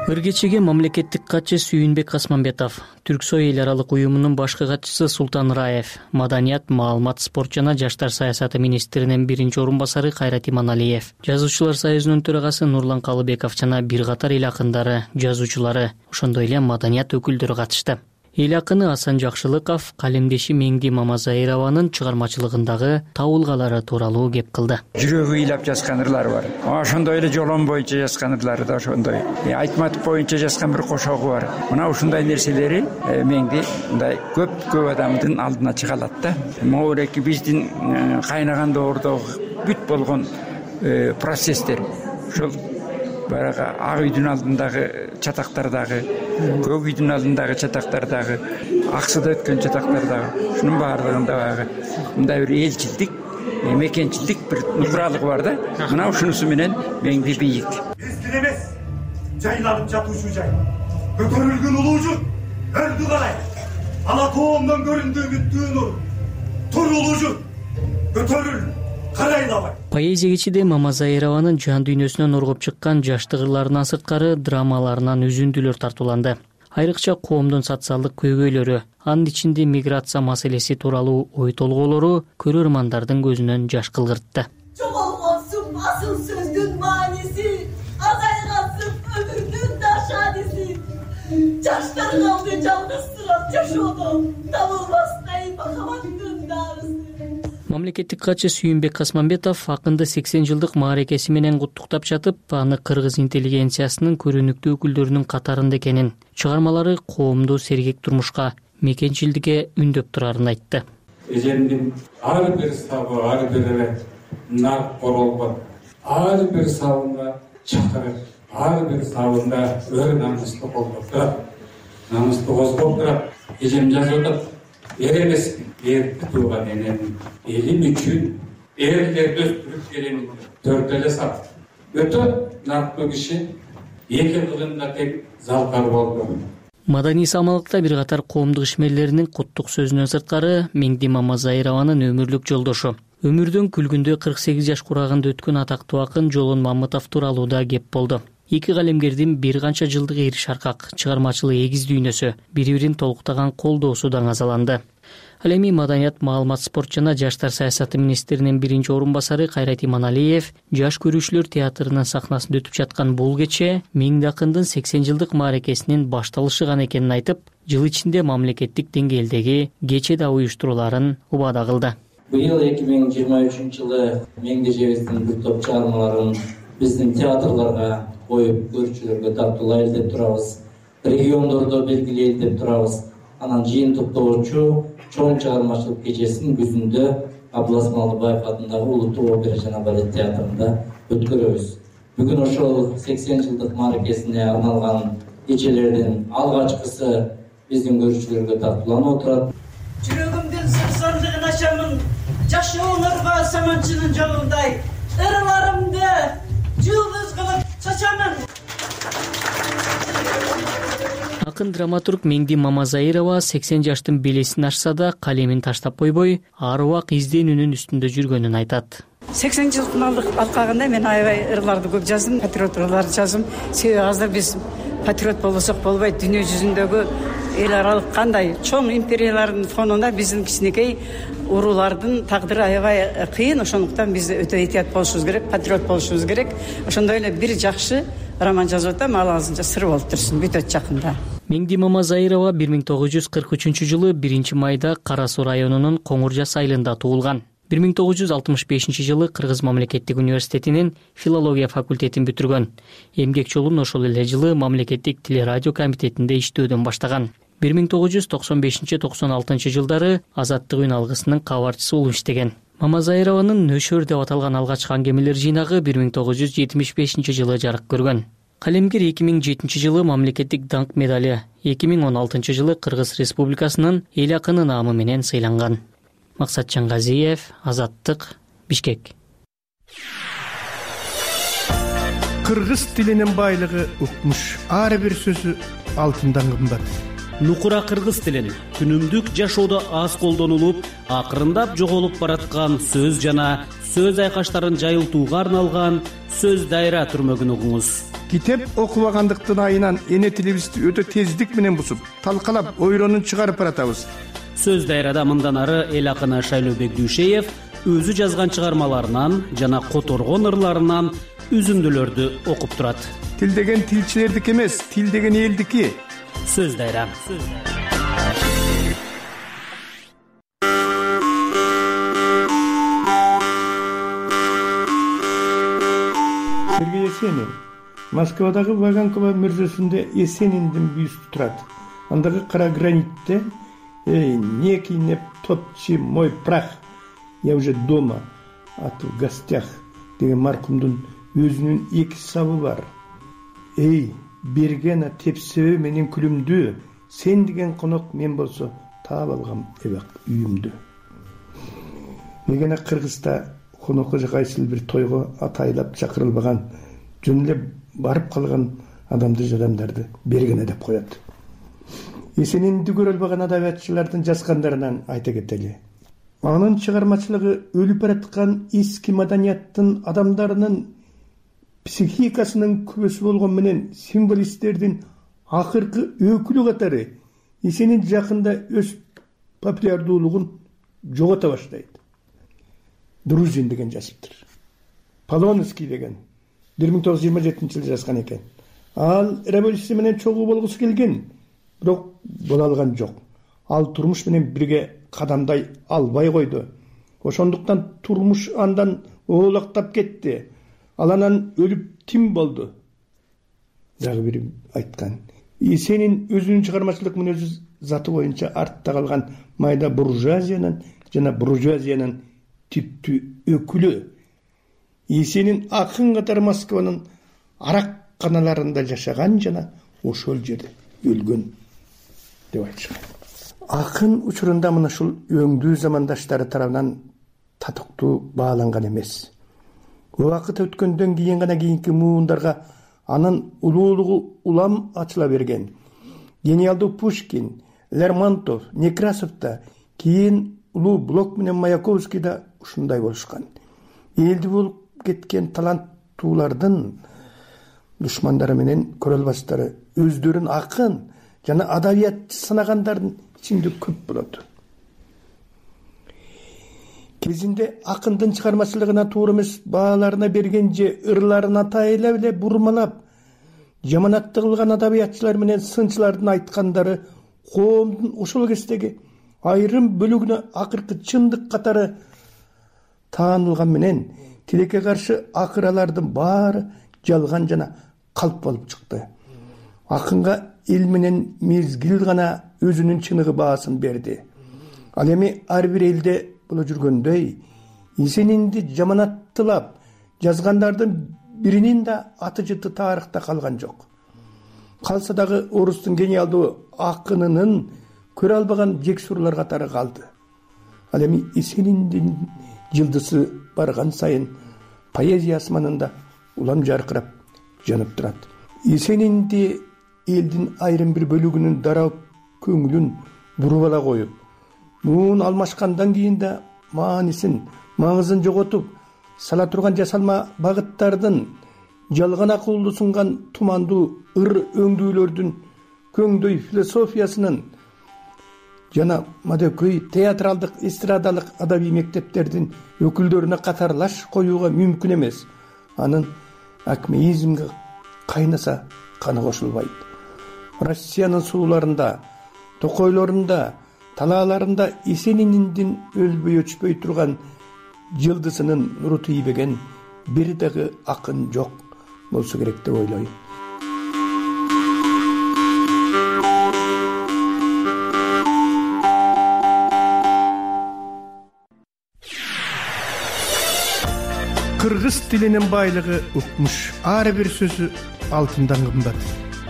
Ыр кечеге мамлекеттик катчы Сүйүнбек Асманбетов, Түрксой эл аралык уюмунун башкы катчысы Султан Раев, Маданият, маалымат, спорт жана жаштар саясаты министринин биринчи орун басары Кайрат Иманалиев, Жазуучулар союзунун төрагасы Нурлан Калыбеков жана бир катар эл акындары, жазуучулары, ошондой эле маданият өкүлдөрү катышты. Эл акыны Асан Жакшылыков калемдеши Меңди Мамазаированын чыгармачылыгындагы табылгалары тууралуу кеп кылды. Жүрөгү ыйлап жазган ырлары бар. Ошондой эле жолон боюнча жазган ырлары да ошондой. Айтматов боюнча жазган бир кошогу бар. Мына ушундай нерселери Меңди мындай көп көп адамдын алдына чыга алат да. Могуреки биздин кайнаган доордогу бүт болгон процесстер ушул барага ак үйдүн алдындагы чатактардагы, көк үйдүн алдындагы чатактардагы, аксыда өткөн чатактардагы ушунун баардыгында баягы мындай бир элчилдик, мекенчилдик бир нукралыгы бар да. Мына ушунусу менен Меңди бийик. Биздин эмес, жайланып жатуучу жай. Көтөрүлгөн улуу журт өрдү карай. Ала тоомдон көрүндү үмүттүү нур. Тур улуу журт, көтөрүл. Поэзия кечеде Мамазаированын жан дүйнөсүнөн оргоп чыккан жаштык ырларынан сырткары драмаларынан үзүндүлөр тартууланды. Айрыкча коомдун социалдык көйгөйлөрү, анын ичинде миграция маселеси тууралуу ой толгоолору көрөрмандардын көзүнөн жаш кылгыртты. Жоголгонсуп асыл сөздүн мааниси, азайгансып өмүрдүн дашаниси. Жаштар калды жалгызсырап жашоодо, табылбастай махабаттын дарысы. Мамлекеттик катчы Сүйүнбек Асманбетов акынды сексен жылдык мааракеси менен куттуктап жатып, аны кыргыз интеллигенциясынын көрүнүктүү өкүлдөрүнүн катарында экенин, чыгармалары коомду сергек турмушка, мекенчилдикке үндөп турарын айтты. Эжемдин ар бир сабы, ар бир нар королгон, ар бир сабында чакырып, ар бир сабында өр намыстуу колдоп турат, намыстуу козгоп турат. Эжем жазып атат. Эр эмесмин, эрди тууган энем, элим үчүн эрлерди өстүрүп келем, төрт эле сап. Өтө нарктуу киши, эки кылында тек залкар болду. Маданий саамалыкта бир катар коомдук ишмерлеринин куттук сөзүнөн сырткары Меңди Мамазаированын өмүрлүк жолдошу. Өмүрдөн күлгүндө кырк сегиз жаш курагында өткөн атактуу акын Жолон Мамытов тууралуу да кеп болду. Эки калемгердин бир канча жылдык эр шаркак, чыгармачылык эгиз дүйнөсү, бири-бирин толуктаган колдоосу даңазаланды. Ал эми маданият, маалымат, спорт жана жаштар саясаты министринин биринчи орун басары Кайрат Иманалиев жаш көрүүчүлөр театрынын сахнасында өтүп жаткан бул кече Миңди акындын сексен жылдык мааракесинин башталышы гана экенин айтып, жыл ичинде мамлекеттик деңгээлдеги кече да уюштуруларын убада кылды. Быйыл эки миң жыйырма үчүнчү жылы Меңди Жебездин бир топ чыгармаларын биздин театрларга коюп көрүүчүлөргө тартуулайлы деп турабыз. Региондордо белгилейли деп турабыз. Анан жыйынтыктоочу чоң чыгармачылык кечесин күзүндө Абылас Малыбаев атындагы Улуттук опера жана балет театрында өткөрөбүз. Бүгүн ошол сексен жылдык мааракесине арналган кечелердин алгачкысы биздин көрүүчүлөргө тартууланып отурат. Жүрөгүмдүн сырсандыгын ачамын, жашооңорго саманчынын жолундай, ырыларымды жулдуз кылып чачамын. Акын драматург Меңди Мамазайырова сексен жаштын белесин ашса да калемин таштап койбой, ар убак изденүүнүн үстүндө жүргөнүн айтат. сексен жылдын алкагында мен аябай ырларды көп жаздым, патриот ырларды жаздым. Себеби азыр биз патриот болбосок болбойт. Дүйнө жүзүндөгү эл аралык кандай чоң империялардын фонунда биздин кичинекей уруулардын тагдыры аябай кыйын. Ошондуктан биз өтө этият болушубуз керек, патриот болушубуз керек. Ошондой эле бир жакшы роман жазып атам, ал азырынча сыр болуп турсун, бүтөт жакында. Меңди Мамазайырова бир миң тогуз жүз кырк үчүнчү жылы биринчи майда Кара Суу районунун Коңур Жас айылында туулган. бир миң тогуз жүз алтымыш бешинчи жылы Кыргыз мамлекеттик университетинин филология факультетин бүтүргөн. Эмгек жолун ошол эле жылы мамлекеттик телерадио комитетинде иштөөдөн баштаган. бир миң тогуз жүз токсон бешинчи токсон алтынчы жылдары Азаттык үн алгысынын кабарчысы болуп иштеген. Мамазайрованын Нөшөр деп аталган алгачкы аңгемелер жыйнагы бир миң тогуз жүз жетимиш бешинчи жылы жарык көргөн. Калемгер эки миң жетинчи жылы мамлекеттик даңк медали, эки миң он алтынчы жылы Кыргыз Республикасынын эл акыны наамы менен сыйланган. Максат Чангазиев, Азаттык, Бишкек. Кыргыз тилинин байлыгы укмуш, ар бир сөзү алтындан кымбат. Нукура кыргыз тилин күнүмдүк жашоодо аз колдонулуп, акырындап жоголуп бараткан сөз жана сөз айкаштарын жайылтууга арналган сөз дайра түрмөгүн угуңуз. Китеп окубагандыктын айынан эне тилибизди өтө тездик менен бусуп, талкалап, ойронун чыгарып баратабыз. Сөз дайрада мындан ары эл акыны Шайлообек Дүйшеев өзү жазган чыгармаларынан жана которгон ырларынан үзүндүлөрдү окуп турат. Тил деген тилчилердики эмес, тил деген элдики. Сөз дайра. Сергей Есенин Москвадагы Ваганкова мүрзөсүндө Есениндин бюсту турат. Андагы кара гранитте «Эй, некий не топчи мой прах, я уже дома, а ты в гостях» деген маркумдун өзүнүн эки сабы бар. «Эй, бергена тепсебе менин күлүмдү, сен деген конок мен болсо таап алгам эбак үйүмдү». Мегена Кыргызда конокко же кайсыл бир тойго атайлап чакырылбаган, жөн эле барып калган адамды жадамдарды бергене деп коет. Есенинди көрө албаган адабиятчылардын жазгандарынан айта кетели. Анын чыгармачылыгы өлүп бараткан эски маданияттын адамдарынын психикасынын күбөсү болгон менен символисттердин акыркы өкүлү катары Есенин жакында өз популярдуулугун жогото баштайт. Друзин деген жазыптыр. Полонский деген бир миң тогуз жүз жыйырма жетинчи жылы жазган экен. Ал революция менен чогуу болгусу келген, бирок боло алган жок. Ал турмуш менен бирге кадамдай албай койду. Ошондуктан турмуш андан оолактап кетти. Ал анан өлүп тим болду. Дагы бири айткан. Есенин өзүнүн чыгармачылык мүнөзү заты боюнча артта калган майда буржуазиянын жана буржуазиянын типтүү өкүлү. Есенин акын катары Москванын аракканаларында жашаган жана ошол жерде өлгөн деп айтышкан. Акын учурунда мына ушул өңдүү замандаштары тарабынан татыктуу бааланган эмес. Убакыт өткөндөн кийин гана кийинки муундарга анын улуулугу улам ачыла берген. Гениалдуу Пушкин, Лермонтов, Некрасов да, кийин улуу Блок менен Маяковский да ушундай болушкан. Элди болуп кеткен таланттуулардын душмандары менен көрө албастары өздөрүн акын жана адабиятчы санагандардын ичинде көп болот. кезинде акындын чыгармачылыгына туура эмес бааларына берген же ырларын атайла эле бурмалап жаманаттык кылган адабиятчылар менен сынчылардын айткандары коомдун ошол кездеги айрым бөлүгүнө акыркы чындык катары таанылган менен тилекке каршы акыралардын баары жалган жана калп болуп чыкты. Акынга эл менен мезгил гана өзүнүн чыныгы баасын берди. Ал эми ар бир элде боло жүргөндөй Есенинди жаманаттылап жазгандардын биринин да аты жыты тарыхта калган жок. Калса дагы орустун гениалдуу акынынын көрө албаган жексурлар катары калды. Ал эми Есениндин жылдызы барган сайын поэзия асманында улам жаркырап жанып турат. Есенинди элдин айрым бир бөлүгүнүн дарап көңүлүн буруп ала коюп, муун алмашкандан кийин да маанисин, маңызын жоготуп сала турган жасалма багыттардын жалган акылды сунган тумандуу ыр өңдүүлөрдүн көңдөй философиясынын жана мадөкөй театралдык эстрадалык адабий мектептердин өкүлдөрүнө катарлаш коюуга мүмкүн эмес. Анын акмеизмге кайнаса каны кошулбайт. Россиянын сууларында, токойлорунда, талааларында Есенининдин өлбөй өчпөй турган жылдызынын нуру тийбеген бир дагы акын жок болсо керек деп ойлойм. Кыргыз тилинин байлыгы укмуш. Ар бир сөзү алтындан кымбат.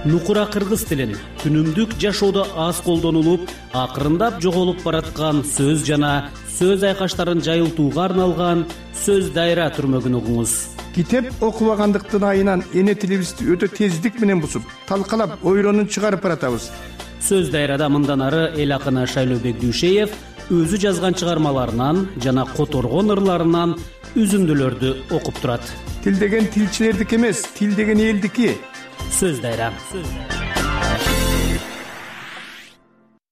Нукура кыргыз тилин күнүмдүк жашоодо аз колдонулуп, акырындап жоголуп бараткан сөз жана сөз айкаштарын жайылтууга арналган сөз дайра түрмөгүн угуңуз. Китеп окубагандыктын айынан эне тилибизди өтө тездик менен бусуп, талкалап, ойронун чыгарып баратабыз. Сөз дайрада мындан ары эл акыны Шайлообек Дүйшеев өзү жазган чыгармаларынан жана которгон ырларынан үзүндүлөрдү окуп турат. Тил деген тилчилердики эмес, тил деген элдики. Сөз дайра.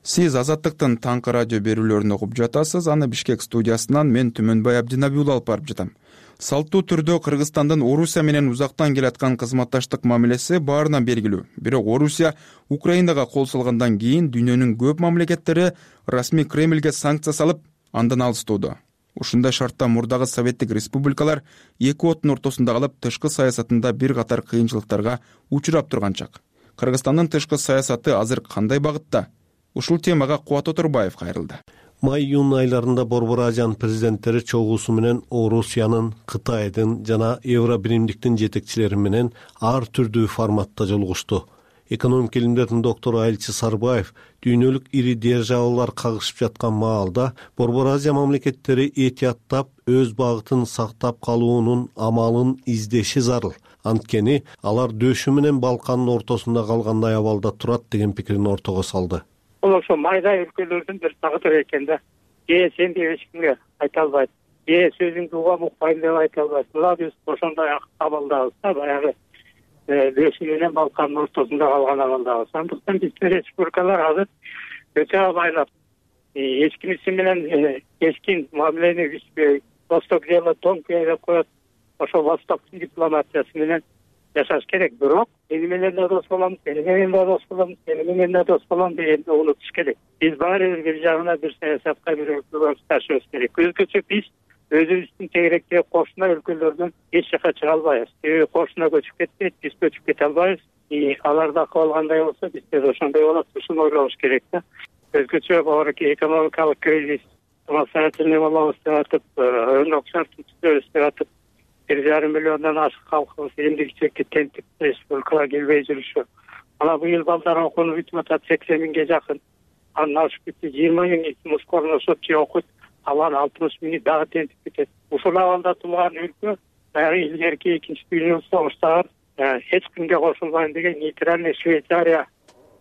Сиз Азаттыктын таңкы радио берүүлөрүн окуп жатасыз. Аны Бишкек студиясынан мен Түмөнбай Абдинабиулла алып барып жатам. Салттуу түрдө Кыргызстандын Орусия менен узактан келаткан кызматташтык мамилеси баарынан белгилүү. Бирок Орусия Украинага кол салгандан кийин дүйнөнүн көп мамлекеттери расмий Кремльге санкция салып, андан алыстоодо. Ушундай шартта мурдагы советтик республикалар эки оттун ортосунда калып, тышкы саясатында бир катар кыйынчылыктарга учурап турган чак. Кыргызстандын тышкы саясаты азыр кандай багытта? Ушул темага Кубат Отурбаев кайрылды. Май-июнь айларында Борбор Азиянын президенттери чогуусу менен Орусиянын, Кытайдын жана Евробиримдиктин жетекчилери менен ар түрдүү форматта жолугушту. Экономика илимдеринин доктору Айлчы Сарбаев дүйнөлүк ири державалар кагышып жаткан маалда Борбор Азия мамлекеттери этияттап өз багытын сактап калуунун амалын издеши зарыл. Анткени алар дөшү менен Балкандын ортосунда калгандай абалда турат деген пикирин ортого салды. Бул ошо майда өлкөлөрдүн бир тагдыры экен да. Же сен деп эч кимге айта албайт. Же сөзүңдү угам укпайм деп айта албайт. Мына биз ошондой абалдабыз да, баягы дөшү менен Балкандын ортосунда калган абалдабыз. Андыктан биздин республикалар азыр өтө абайлап, эч кимиси менен эскин мамилени Восток дело тонкое деп коет. Ошо Востоктун дипломатиясы менен жашаш керек. Бирок ени менен да дос боламыз, ени менен да дос боламыз, ени менен да дос боламыз дегенди унутуш керек. Биз баары бир жагына бир саясатка бир өлкөгө ташыбыз керек. Өзгөчө биз өзүбүздүн тегеректеги кошуна өлкөлөрдөн эч жака чыга албайбыз. Себеби кошуна көчүп кетпейт, биз көчүп кете албайбыз. Аларда калгандай болсо биз да ошондой болот. Ушуну ойлонуш керек да. Өзгөчө баары экономикалык кризис, самостоятельный болобуз деп атып, өндүк шарттын түзөбүз деп атып, бир жарым миллиондон ашык калкыбыз эмдигичекке тентип республикага келбей жүрүшү. Ана быйыл балдар окууну бүтүп атат, сексен миңге жакын. Андан ашып кетти, жыйырма миң мускорно сотчи окуйт, алар алтымыш миңи дагы тентип кетет. Ушул абалда туулган өлкө баягы илгерки экинчи дүйнөлүк согуштагы эч кимге кошулбайм деген нейтральный Швейцария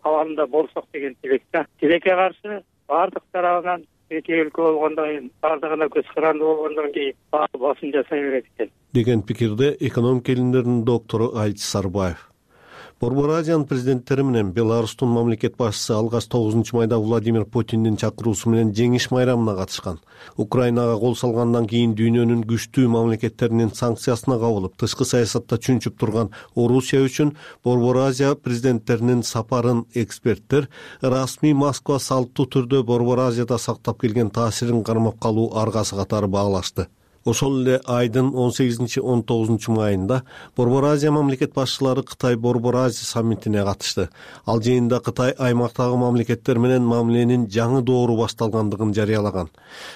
абалында болсок деген тилекте. Тилекке каршы баардык тарабынан эки өлкө болгондон кийин, баардыгына көз каранды болгондон кийин баары басым жасай берет экен деген пикирде экономика илимдеринин доктору Айлчы Сарбаев. Борбор Азиянын президенттери менен Беларустун мамлекет башчысы алгач тогузунчу майда Владимир Путиндин чакыруусу менен жеңиш майрамына катышкан. Украинага кол салгандан кийин дүйнөнүн күчтүү мамлекеттеринин санкциясына кабылып, тышкы саясатта чүнчүп турган Орусия үчүн Борбор Азия президенттеринин сапарын эксперттер расмий Москва салттуу түрдө Борбор Азияда сактап келген таасирин кармап калуу аргасы катары баалашты. Ошол эле айдын он сегизинчи он тогузунчу майында Борбор Азия мамлекет башчылары Кытай Борбор Азия саммитине катышты. Ал жыйында Кытай аймактагы мамлекеттер менен мамиленин жаңы доору башталгандыгын жарыялаган.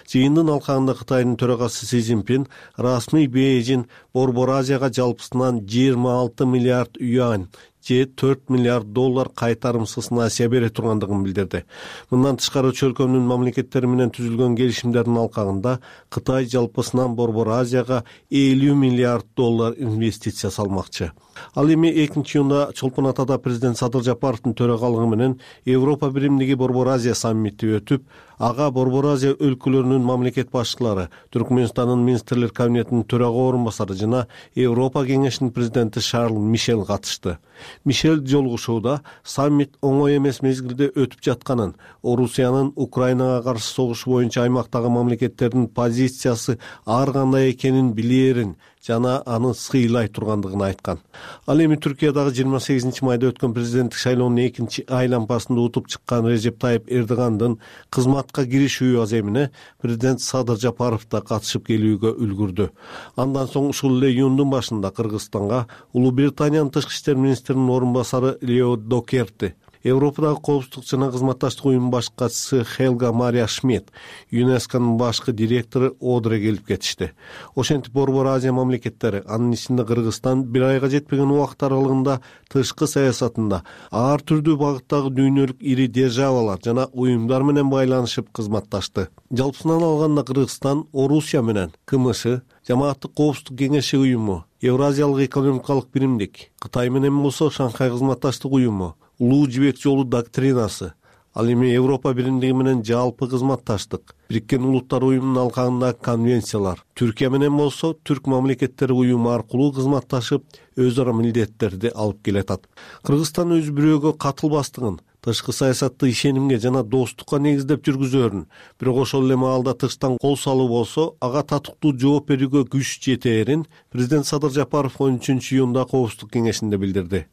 Жыйындын алкагында Кытайдын төрагасы Си Цзиньпин расмий Бейжин Борбор Азияга жалпысынан жыйырма алты миллиард юань же төрт миллиард доллар кайтарымсыз насыя бере тургандыгын билдирди. Мындан тышкары чөлкөмдүн мамлекеттери менен түзүлгөн келишимдердин алкагында Кытай жалпысынан Борбор Азияга элүү миллиард доллар инвестиция салмакчы. Ал эми экинчи июнда Чолпон Атада президент Садыр Жапаровдун төрагалыгы менен Европа биримдиги Борбор Азия саммити өтүп, ага Борбор Азия өлкөлөрүнүн мамлекет башчылары, Түркмөнстандын министрлер кабинетинин төрага орун басары жана Европа кеңешинин президенти Шарл Мишель катышты. Мишель жолугушууда саммит оңой эмес мезгилде өтүп жатканын, Орусиянын Украинага каршы согуш боюнча аймактагы мамлекеттердин позициясы ар кандай экенин билээрин жана аны сыйлай тургандыгын айткан. Ал эми Түркиядагы жыйырма сегизинчи майда өткөн президенттик шайлоонун экинчи айлампасында утуп чыккан Режеп Тайып Эрдогандын кызматка киришүү аземине президент Садыр Жапаров да катышып келүүгө үлгүрдү. Андан соң ушул эле июндун башында Кыргызстанга Улуу Британиянын тышкы иштер министринин орун басары Лео Докерти, Европадагы коопсуздук жана кызматташтык уюмунун баш катчысы Хелга Мария Шмидт, ЮНЕСКОнун башкы директору Одре келип кетишти. Ошентип Борбор Азия мамлекеттери, анын ичинде Кыргызстан бир айга жетпеген убакыт аралыгында тышкы саясатында ар түрдүү багыттагы дүйнөлүк ири державалар жана уюмдар менен байланышып кызматташты. Жалпысынан алганда Кыргызстан Орусия менен КМШ, Жамааттык коопсуздук кеңеши уюму, Евразиялык экономикалык биримдик, Кытай менен болсо Шанхай кызматташтык уюму, Улуу жибек жолу доктринасы, ал эми Европа биримдиги менен жалпы кызматташтык, Бириккен Улуттар уюмунун алкагындагы конвенциялар, Түркия менен болсо Түрк мамлекеттери уюму аркылуу кызматташып, өз ара милдеттерди алып келатат. Кыргызстан өз бирөөгө катылбастыгын, тышкы саясатты ишенимге жана достукка негиздеп жүргүзөрүн, бирок ошол эле маалда тыштан кол салуу болсо, ага татыктуу жооп берүүгө күч жетээрин президент Садыр Жапаров он үчүнчү июнда коопсуздук кеңешинде билдирди.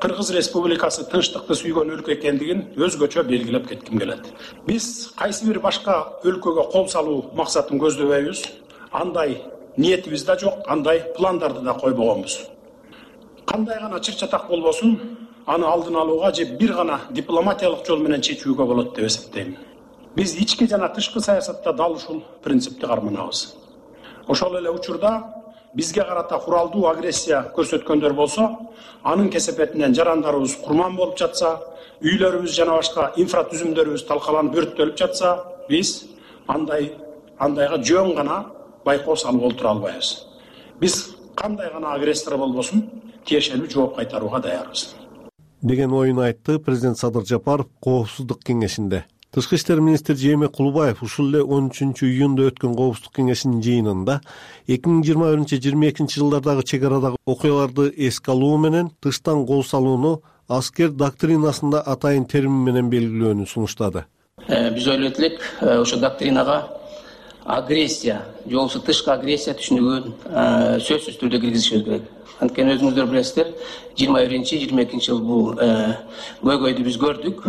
Кыргыз Республикасы тынчтыкты сүйгөн өлкө экендигин өзгөчө белгилеп кетким келет. Биз кайсы бир башка өлкөгө кол салуу максатын көздөбөйбүз. Андай ниетибиз да жок, андай пландарды да койбогонбуз. Кандай гана чыр-чатак болбосун, аны алдын алууга же бир гана дипломатиялык жол менен чечүүгө болот деп эсептейм. Биз ички жана тышкы саясатта дал ушул принципти карманабыз. Ошол эле учурда бизге карата куралдуу агрессия көрсөткөндөр болсо, анын кесепетинен жарандарыбыз курман болуп жатса, үйлөрүбүз жана башка инфратүзүмдөрүбүз талкаланып өрттөлүп жатса, биз андай андайга жөн гана байкоо салып олтура албайбыз. Биз кандай гана агрессор болбосун, тиешелүү жооп кайтарууга даярбыз деген оюн айтты президент Садыр Жапаров коопсуздук кеңешинде. Тышкы иштер министри Жээнбек Кулубаев ушул эле он үчүнчү июнда өткөн коопсуздук кеңешинин жыйынында эки миң жыйырма биринчи жыйырма экинчи жылдардагы чек арадагы окуяларды эске алуу менен тыштан кол салууну аскер доктринасында атайын термин менен белгилөөнү сунуштады. Биз ойлойт элек, ошо доктринага агрессия, же болбосо тышкы агрессия түшүнүгүн сөзсүз түрдө киргизишибиз керек. Анткени өзүңүздөр билесиздер, жыйырма биринчи жыйырма экинчи жыл бул көйгөйдү биз көрдүк.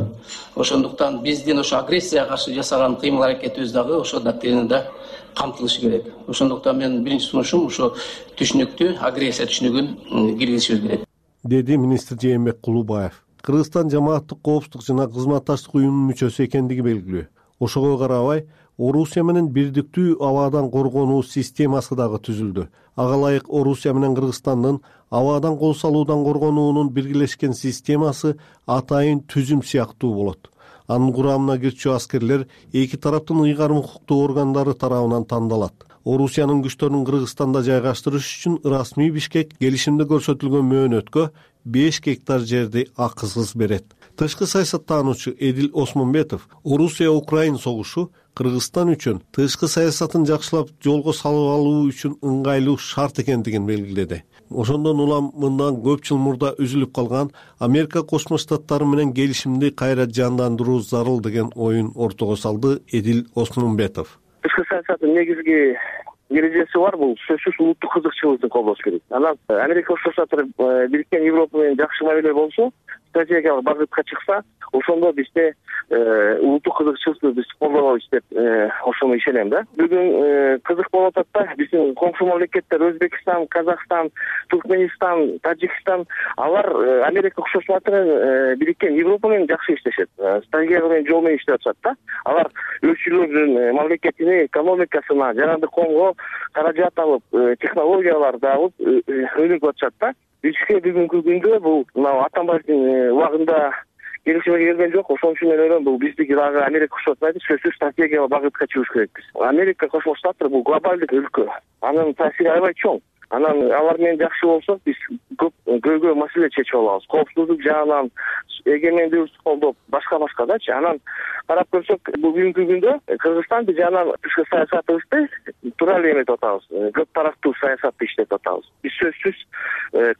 Ошондуктан биздин ошо агрессияга каршы жасаган кыймыл аракетибиз дагы ошо доктринада камтылышы керек. Ошондуктан менин биринчи сунушум ошо түшүнүктү, агрессия түшүнүгүн киргизишибиз керек, деди министр Жээнбек Кулубаев. Кыргызстан жамааттык коопсуздук жана кызматташтык уюмунун мүчөсү экендиги белгилүү. Ошого карабай, Орусия менен бирдиктүү абадан коргонуу системасы дагы түзүлдү. Ага ылайык Орусия менен Кыргызстандын абадан кол салуудан коргонуунун биргелешкен системасы атайын түзүм сыяктуу болот. Анын курамына кирчү аскерлер эки тараптын ыйгарым укуктуу органдары тарабынан тандалат. Орусиянын күчтөрүн Кыргызстанда жайгаштырыш үчүн расмий Бишкек келишимде көрсөтүлгөн мөөнөткө беш гектар жерди акысыз берет. Тышкы саясаттануучу Эдил Осмонбетов Орусия-Украин согушу Кыргызстан үчүн тышкы саясатын жакшылап жолго салып алуу үчүн ыңгайлуу шарт экендигин белгиледи. Ошондон улам мындан көп жыл мурда үзүлүп калган Америка Кошмо Штаттары менен келишимди кайра жандандыруу зарыл деген оюн ортого салды Эдил Осмонбетов. Тышкы саясаттын негизги эрежеси бар, бул сөзсүз улуттук кызыкчылыкты колдош керек. Анан Америка Кошмо Штаттары Бириккен Европа менен жакшы мамиле болсо, стратегиялык багытка чыкса, ошондо бизде улуттук кызыкчылыкты биз колдонобуз деп ошону ишенем да. Бүгүн кызык болуп атат да, биздин коңшу мамлекеттер Өзбекстан, Казакстан, Туркменистан, Тажикстан, алар Америка Кошмо Штаттары менен Бириккен Европа менен жакшы иштешет. Стратегиялык менен жол менен иштеп атышат да. Алар өзүлөрүнүн мамлекетине, экономикасына, жарандык коомго каражат алып, технологияларды алып өнүгүп атышат да. Бизге бүгүнкү күндө бул мына Атамбаевдин убагында келишимге келген жок. Ошон үчүн мен ойлойм, бул биздики дагы Америка Кошмо Штаттары сөзсүз стратегиялык багытка чыгыш керекпиз. Америка Кошмо Штаттары бул глобалдык өлкө. Анын таасири аябай чоң. Анан алар менен жакшы болсок, биз көп көйгөй маселе чечип алабыз. Коопсуздук жагынан, эгемендүүлүктү колдоп, башка-башкадачы. Анан карап көрсөк, бүгүнкү күндө Кыргызстан биз анан тышкы саясатыбызды туура эле эметип атабыз. Көп тараптуу саясатты иштетип атабыз. Биз сөзсүз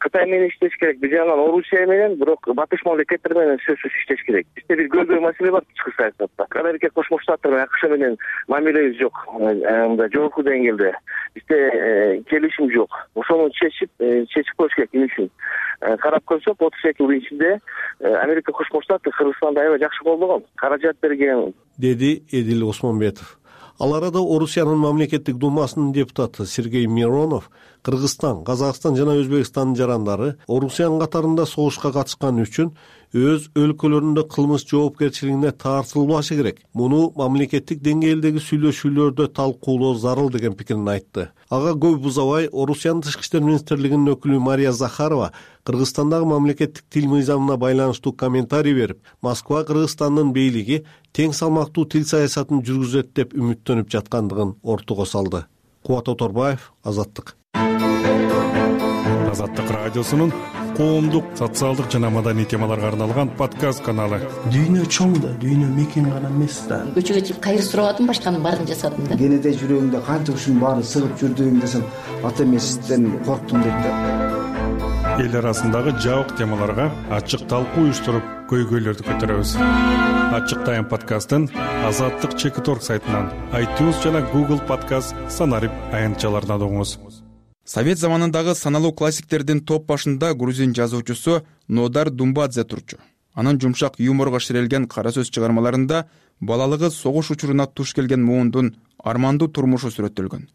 Кытай менен иштеш керек. Биз анан Орусия менен, бирок батыш мамлекеттер менен сөзсүз иштеш керек. Бизде бир көйгөй маселе бар тышкы саясатта. Америка Кошмо Штаттары менен АКШ менен мамилебиз жок. Мындай жогорку деңгээлде бизде келишим жок. Ошону чечип чечип коюш керек эмне үчүн. Карап көрсөк, отуз эки жылдын ичинде Америка Кошмо Штаттары Кыргызстанды аябай жакшы колдогон, каражат берген, деди Эдил Осмонбетов. Ал арада Орусиянын мамлекеттик думасынын депутаты Сергей Миронов Кыргызстан, Казакстан жана Өзбекстандын жарандары Орусиянын катарында согушка катышканы үчүн өз өлкөлөрүндө кылмыш жоопкерчилигине тартылбашы керек. Муну мамлекеттик деңгээлдеги сүйлөшүүлөрдө талкуулоо зарыл деген пикирин айтты. Ага көп узабай Орусиянын тышкы иштер министрлигинин өкүлү Мария Захарова Кыргызстандагы мамлекеттик тил мыйзамына байланыштуу комментарий берип, Москва Кыргызстандын бийлиги тең салмактуу тил саясатын жүргүзөт деп үмүттөнүп жаткандыгын ортого салды. Кубат Оторбаев, Азаттык. Азаттык радиосунун коомдук, социалдык жана маданий темаларга арналган подкаст каналы. Дүйнө чоң да, дүйнө мекен гана эмес да. Көчөгө чыгып кайыр сурабадым, башканын баарын жасадым да. Кенеде жүрөгүңдө канча ушунун баары сыгып жүрдүң десем, ата эмесизден корктум дейт да. Эл арасындагы жабык темаларга ачык талкуу уюштуруп, көйгөйлөрдү көтөрөбүз. Ачык Тайм подкастын Азаттык чекит точка орг сайтынан, iTunes жана Google подкаст санарип аянтчаларынан угуңуз. Совет заманындагы саналуу классиктердин топ башында грузин жазуучусу Нодар Думбадзе турчу. Анын жумшак юморго ширелген кара сөз чыгармаларында балалыгы согуш учуруна туш келген муундун армандуу турмушу сүрөттөлгөн.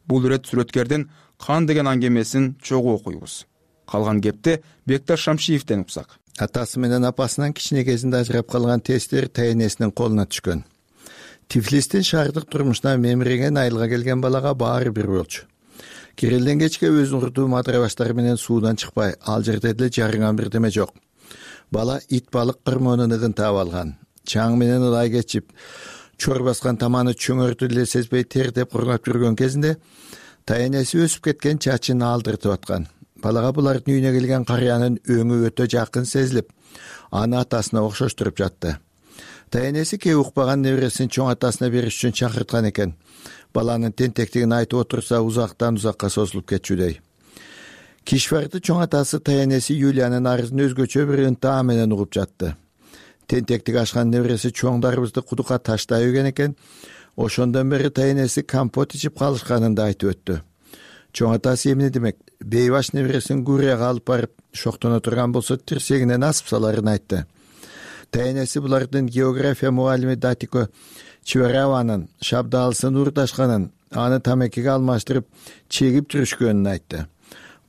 Бул ирет сүрөткердин Кан деген аңгемесин чогуу окуйбуз. Калган кепти Бекташ Шамшиевден уксак. Атасы менен апасынан кичине кезинде ажырап калган тестер тайенесинин колуна түшкөн. Тифлистин шаардык турмушуна мемиреген айылга келген балага баары бир болчу. Кирелден кечке өзүн урдуу матырабаштары менен суудан чыкпай, ал жерде деле жарынган бирдеме жок. Бала ит балык кырмоонун ыгын таап алган. Чаң менен ылай кечип, чор баскан таманы чөңөрдү деле сезбей тердеп кургап жүргөн кезинде тайенеси өсүп кеткен чачын алдыртып аткан. Балага булардын үйүнө келген карыянын өңү өтө жакын сезилип, аны атасына окшоштуруп жатты. Тайенеси кээ укпаган небересин чоң атасына бериш үчүн чакырткан экен. Баланын тентектигин айтып отурса, узактан узакка созулуп кетчүдөй. Кишварды чоң атасы тайенеси Юлиянын арызын өзгөчө бир ынтаа менен угуп жатты. Тентектик ашкан небереси чоңдарыбызды кудукка таштай үйген экен. Ошондон бери тайенеси компот ичип калышканын да айтып өттү. Чоң атасы эмне демек? Бейбаш небересин Гурияга алып барып, шоктоно турган болсо тирсегинен асып саларын айтты. Тайенеси булардын география мугалими Датико Чивараванын шабдаалысын урдашканын, аны тамекиге алмаштырып, чегип жүрүшкөнүн айтты.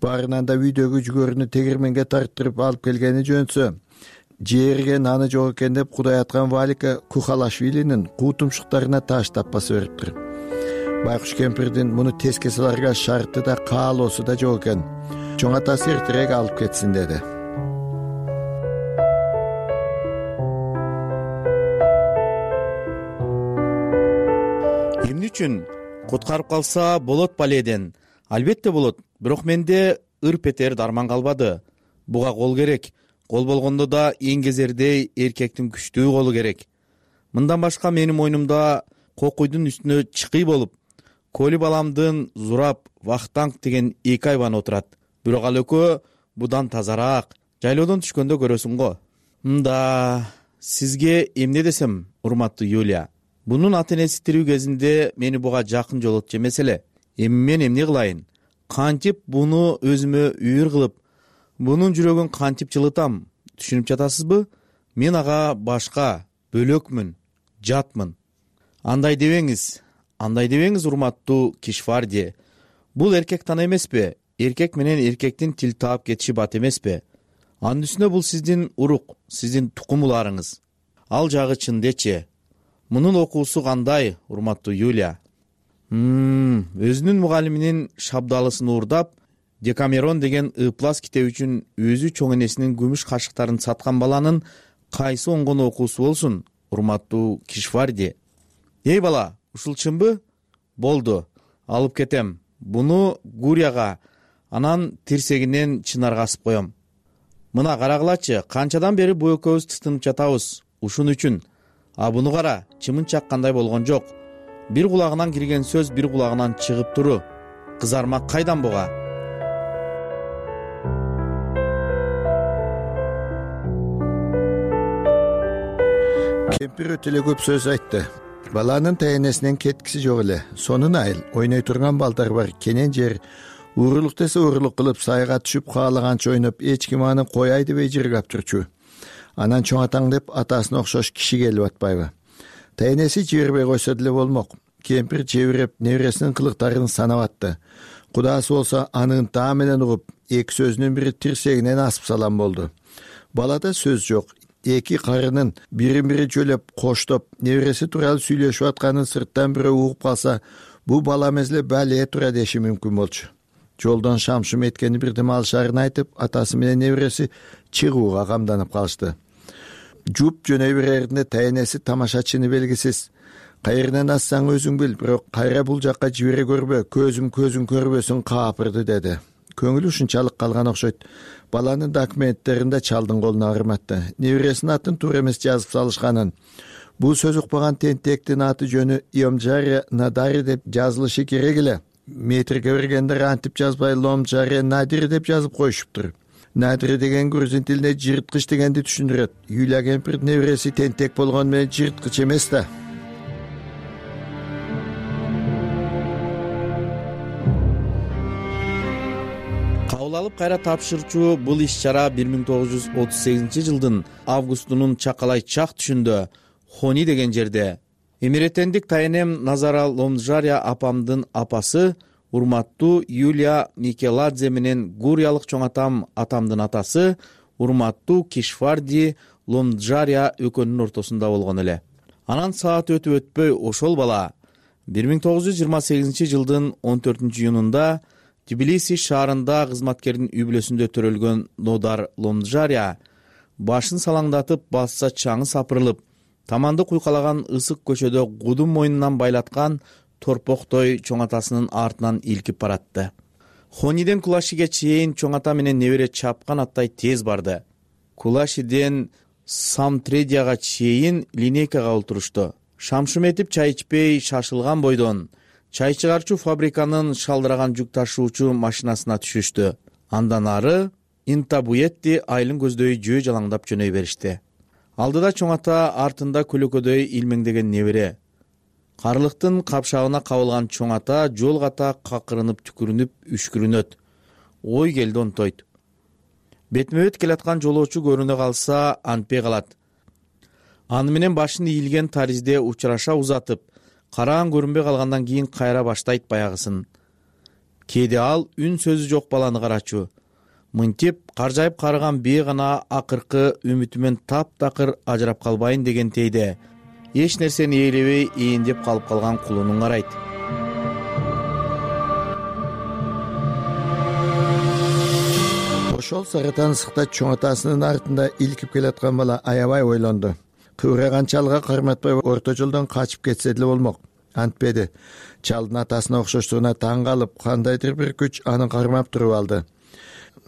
Баарынан да үйдөгү жүгөрүнү тегирменге тарттырып алып келгени жөнсө, жерге наны жок экен деп кудай аткан Валика Кухалашвилинин куу тумшуктарына таш таппасы бериптир. Байкуш кемпирдин муну теске саларга шарты да каалоосу да жок экен. Чоң атасы эртерээк алып кетсин деди. Эмне үчүн куткарып калса болот баледен? Албетте болот, бирок менде ырп этер дарман калбады. Буга кол керек. Кол болгондо да эң кезердей эркектин күчтүү колу керек. Мындан башка менин мойнумда кокуйдун үстүнө чыкый болуп, Коли баламдын Зураб, Вахтанг деген эки айбан отурат. Бирок ал экөө будан тазараак. Жайлоодон түшкөндө көрөсүң го. Мында, сизге эмне десем, урматтуу Юлия? Бунун ата-энеси тирүү кезинде мени буга жакын жолотчу эмес эле. Эми мен эмне кылайын? Кантип буну өзүмө үйүр кылып, бунун жүрөгүн кантип жылытам? Түшүнүп жатасызбы? Мен ага башка, бөлөкмүн, жатмын. Андай дебеңиз, андай дебеңиз, урматтуу Кишварди. Бул эркек тана эмеспи? Эркек менен эркектин тил таап кетиши бат эмеспи? Анын үстүнө бул сиздин урук, сиздин тукумуларыңыз. Ал жагы чындечи. Мунун окуусу кандай, урматтуу Юлия? Мм, өзүнүн мугалиминин шабдалысын уурдап, Декамерон деген ыплас китеп үчүн өзү чоң энесинин күмүш кашыктарын саткан баланын кайсы оңгон окуусу болсун, урматтуу Кишварди? Эй бала, ушул чынбы? Болду, алып кетем. Буну Гурияга, анан тирсегинен Чынарга асып коем. Мына карагылачы, канчадан бери бу экөөбүз тытынып жатабыз ушун үчүн. А буну кара, чымын чаккандай болгон жок. Бир кулагынан кирген сөз бир кулагынан чыгып туру. Кызармак кайдан буга? Кемпир өтө эле көп сөз айтты. Баланын тайенесинен кеткиси жок эле. Сонун айыл, ойной турган балдар бар, кенен жер. Уурулук десе уурулук кылып, сайга түшүп каалаганча ойноп, эч ким аны кояй дебей жыргап турчу. Анан чоң атаң деп атасына окшош киши келип атпайбы? Тайенеси жибербей койсо деле болмок. Кемпир жебиреп, небересинин кылыктарын санап атты. Кудасы болсо анын таа менен угуп, эки сөзүнүн бири тирсегинен асып салам болду. Балада сөз жок. Эки карынын бирин-бири жөлөп, коштоп, небереси тууралуу сүйлөшүп атканын сырттан бирөө угуп калса, бул бала эмес эле бале тура деши мүмкүн болчу. Жолдон шамшым эткени бирдеме алышарын айтып, атасы менен небереси чыгууга камданып калышты. Жуп жөнөй береринде тайенеси тамашачыны белгисиз. Кайеринен ассаң өзүң бил, бирок кайра бул жакка жибере көрбө, көзүм көзүң көрбөсүн каапырды деди. Көңүлү ушунчалык калган окшойт. Баланын документтеринде чалдын колуна барматты. Небересинин атын туура эмес жазып салышканын. Бул сөз укпаган тентектин аты жөнү Йомжаре Надари деп жазылышы керек эле. Метрге бергендер антип жазбай Ломжаре Надири деп жазып коюшуптур. Надири деген грузин тилинде жырткыч дегенди түшүндүрөт. Юлия кемпир небереси тентек болгон менен жырткыч эмес да. Кабыл алып кайра тапшырчу бул иш-чара бир миң тогуз жүз отуз сегизинчи жылдын августунун чакалай чак түшүндө Хони деген жерде. Эмиретендик тайенем Назара Ломжария апамдын апасы, урматтуу Юлия Микеладзе менен гуриялык чоң атам атамдын атасы, урматтуу Кишварди Ломжария экөөнүн ортосунда болгон эле. Анан саат өтүп өтпөй ошол бала бир миң тогуз жүз жыйырма сегизинчи жылдын он төртүнчү июнунда Тбилиси шаарында кызматкердин үй бүлөсүндө төрөлгөн Нодар Ломжария башын салаңдатып басса чаңы сапырылып, таманды куйкалаган ысык көчөдө гудун мойнунан байлаткан торпоктой чоң атасынын артынан илкип баратты. Хониден Кулашиге чейин чоң ата менен небере чапкан аттай тез барды. Кулашиден Самтредияга чейин линейкага олтурушту. Шамшым этип чай ичпей шашылган бойдон чай чыгарчу фабриканын шалдыраган жүк ташуучу машинасына түшүштү. Андан ары Интабуетти айылын көздөй жөө жалаңдап жөнөй беришти. Алдыда чоң ата, артында көлөкөдөй илмеңдеген небере. Карлыктын капшагына кабылган чоң ата жол ката какырынып түкүрүнүп үшкүрүнөт. Ой келди онтойт. Бетме бет келаткан жолоочу көрүнө калса антпей калат. Аны менен башын ийилген таризде учураша узатып, караан көрүнбөй калгандан кийин кайра баштайт баягысын. Кээде ал үн сөзү жок баланы карачу. Мынтип каржайып карыган бие гана акыркы үмүтүмөн таптакыр ажырап калбайын дегентейде эч нерсени ээлебей эендеп калып калган кулунун карайт. Ошол саратан ысыкта чоң атасынын артында илкип келаткан бала аябай ойлонду. Кыбыраган чалга карматпай орто жолдон качып кетсе деле болмок. Антпеди. Чалдын атасына окшоштугуна таң калып, кандайдыр бир күч аны кармап туруп алды.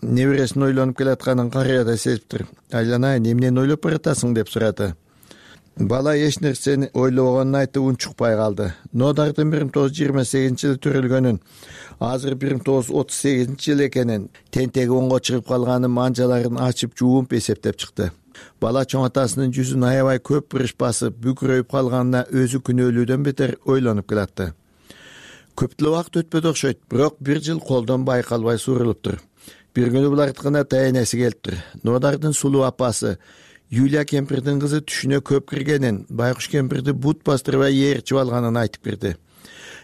Небересин ойлонуп келатканын карыя да сезиптир. Айланайын, эмнени ойлоп баратасың деп сурады. Бала эч нерсени ойлобогонун айтып унчукпай калды. Нодардын бир миң тогуз жүз жыйырма сегизинчи жылы төрөлгөнүн, азыр бир миң тогуз жүз отуз сегизинчи жыл экенин, тентеги оңго чыгып калганын манжаларын ачып жууп эсептеп чыкты. Бала чоң атасынын жүзүн аябай көп буруш басып, бүкүрөйүп калганына өзү күнөөлүүдөн бетер ойлонуп келатты. Көп деле убакыт өтпөдү окшойт, бирок бир жыл колдон байкалбай сурулуптур. Бир күнү булардыкына таянеси келиптир. Нодардын сулуу апасы Юлия кемпирдин кызы түшүнө көп киргенин, Байкуш кемпирди бут бастырбай ээрчип алганын айтып кирди.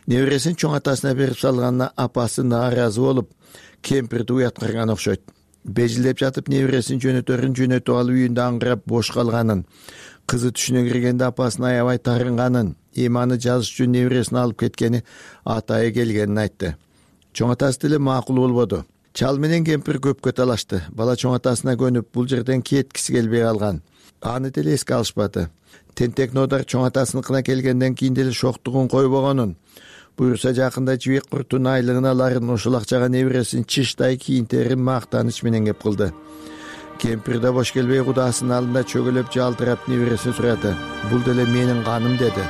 Небересин чоң атасына берип салганына апасы нааразы болуп, кемпирди уяткырган окшойт. Бежилдеп жатып небересин жөнөтөрүн жөнөтүп алып үйүндө аңгырап бош калганын, кызы түшүнө киргенде апасын аябай тарынганын, эми аны жазыш үчүн небересин алып кеткени атайы келгенин айтты. Чоң атасы деле макул болбоду. Чал менен кемпир көпкө талашты. Бала чоң атасына көнүп, бул жерден кеткиси келбей калган. Аны деле эске алышпады. Тентек Нодар чоң атасыныкына келгенден кийин деле шоктугун койбогонун, буюрса жакында жибек куртун айлыгын аларын, ошол акчага небересин чыштай кийинтерин мактаныч менен кеп кылды. Кемпир да бош келбей кудасынын алдында чөгөлөп жалтырап небересин сурады. Бул деле менин каным деди.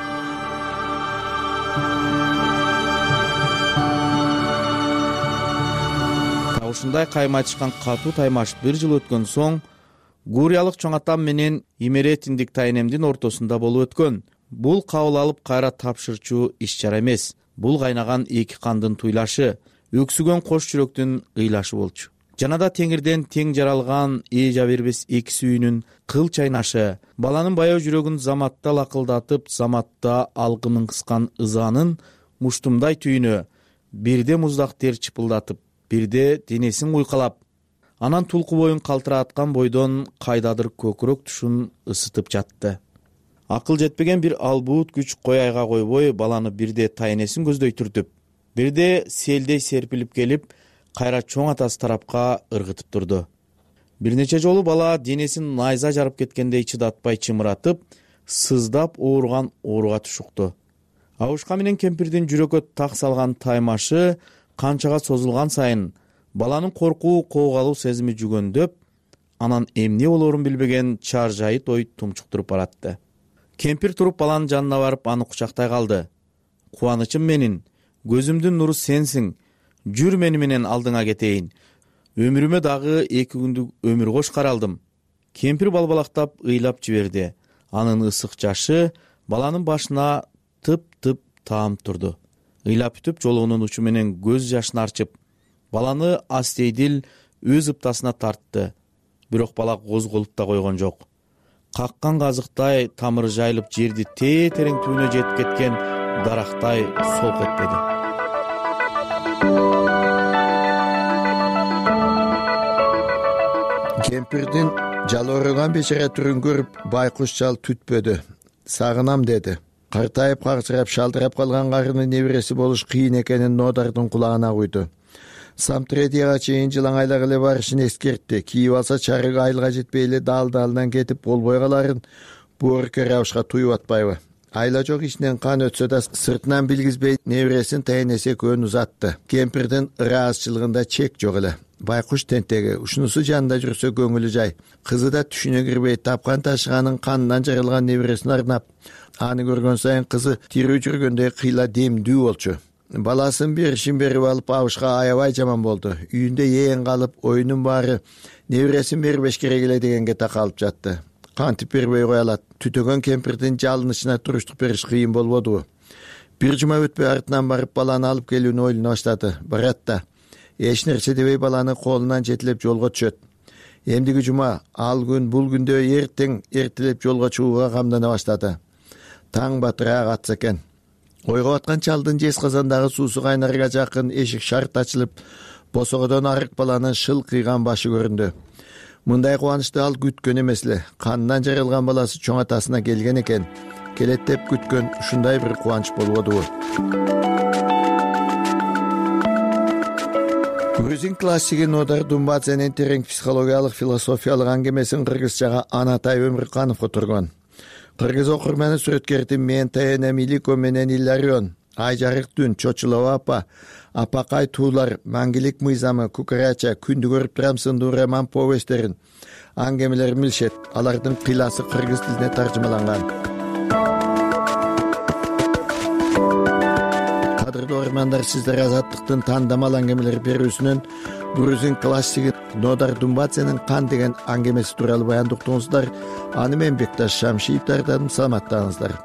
Ушундай кайым айтышкан катуу таймаш бир жыл өткөн соң гуриялык чоң атам менен имеретиндик тайнемдин ортосунда болуп өткөн. Бул кабыл алып кайра тапшырчу иш чара эмес. Бул кайнаган эки кандын туйлашы, өксүгөн кош жүрөктүн ыйлашы болчу. Жана да теңирден тең жаралган эжа бербес эки сүйүүнүн кыл чайнашы, баланын баяу жүрөгүн заматта лакылдатып, заматта алгынын кыскан ызанын муштумдай түйүнө бирде муздак тер чыпылдатып, бирде денесин куйкалап, анан тулку боюн калтырааткан бойдон кайдадыр көкүрөк тушун ысытып жатты. Акыл жетпеген бир албуут күч кой айга койбой баланы бирде тайнесин көздөй түртүп, бирде селдей серпилип келип, кайра чоң атасы тарапка ыргытып турду. Бир нече жолу бала денесин найза жарып кеткендей чыдатпай чымыратып, сыздап ооруган ооруга тушукту. Абушка менен кемпирдин жүрөккө так салган таймашы канчага созулган сайын баланын коркуу, коогалуу сезими жүгөндөп, анан эмне болоорун билбеген чаржайыт ой тумчуктуруп баратты. Кемпир туруп баланын жанына барып аны кучактай калды. Кубанычым менин, көзүмдүн нуру сенсиң, жүр мени менен алдыңа кетейин. Өмүрүмө дагы эки күндүк өмүр кош каралдым. Кемпир балбалактап ыйлап жиберди. Анын ысык жашы баланын башына тып-тып таам турду. Ыйлап бүтүп жолугунун учу менен көз жашын арчып, баланы астейдил өз ыптасына тартты. Бирок бала козголуп да койгон жок. Каккан казыктай тамыры жайылып жерди тээ-терең түбүнө жетип кеткен дарактай солк этпеди. Кемпирдин жалоорugан бечара түрүн көрүп Байкуш чал түтпөдү. Сагынам деди. Картайып карчырап шалдырап калган карыны небереси болуш кыйын экенин Нодардын кулагына куйду. Самтредияга чейин жылаңайлак эле барышын эскертти. Кийип алса чарык айылга жетпей эле дал-далынан кетип болбой каларын боорукер абышка туюп атпайбы. Айла жок ичинен кан өтсө да сыртынан билгизбей небересин тайнеси экөөнү узатты. Кемпирдин ыраазычылыгында чек жок эле. Байкуш тентеги, ушунусу жанында жүрсө көңүлү жай. Кызы да түшүнө кирбей тапкан ташыганын канынан жаралган небересин арнап, аны көргөн сайын кызы тирүү жүргөндөй кыйла демдүү болчу. Баласын беришин берип алып абышка аябай жаман болду. Үйүндө ээн калып, оюнун баары небересин бербеш керек эле дегенге такалып жатты. Кантип бербей кое алат? Түтөгөн кемпирдин жалынычына туруштук бериш кыйын болбодубу? Бир жума өтпөй артынан барып баланы алып келүүнү ойлоно баштады. Барат да эч нерсе дебей баланы колунан жетелеп жолго түшөт. Эмдиги жума ал күн бул күндө эртең эртелеп жолго чыгууга камдана баштады. Таң батыраак атса экен. Ойго баткан чалдын жез казандагы суусу кайнарга жакын эшик шарт ачылып, босогодон арык баланын шыл кыйган башы көрүндү. Мындай кубанычты ал күткөн эмес эле. Канынан жаралган баласы чоң атасына келген экен. Келет деп күткөн ушундай бир кубанч болбодубу? Грузин классиги Нодар Думбадзенин терең психологиялык философиялык аңгемесин кыргызчага Анатай Өмүрканов которгон. Кыргыз окурманы сүрөткердин Мен Таянам Илико менен Илларион, Ай жарык түн, Чочулова апа, Апакай туулар, Маңгилик мыйзамы, Кукарача, Күндү көрүп турам сындуу роман повесттерин, аңгемелерин билишет. Алардын кыйласы кыргыз тилине таржымаланган. Кадырлуу угармандар, сиздер Азаттыктын тандамал аңгемелер берүүсүнөн грузин классиги Нодар Думбаценин Кан деген аңгемеси тууралуу баяндоо уктуңуздар. Аны мен Бекташ Шамшиев даярдадым. Саламаттаңыздар.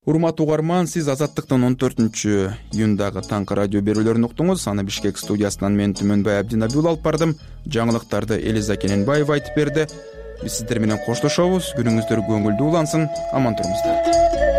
Урматтуу угарман, сиз Азаттыктын он төртүнчү июндагы таңкы радио берүүлөрүн уктуңуз. Аны Бишкек студиясынан мен Түмөнбай Абдинабиул алып бардым. Жаңылыктарды Элиза Кененбаева айтып берди. Биз сиздер менен коштошобуз. Күнүңүздөр көңүлдүү улансын. Аман туруңуздар.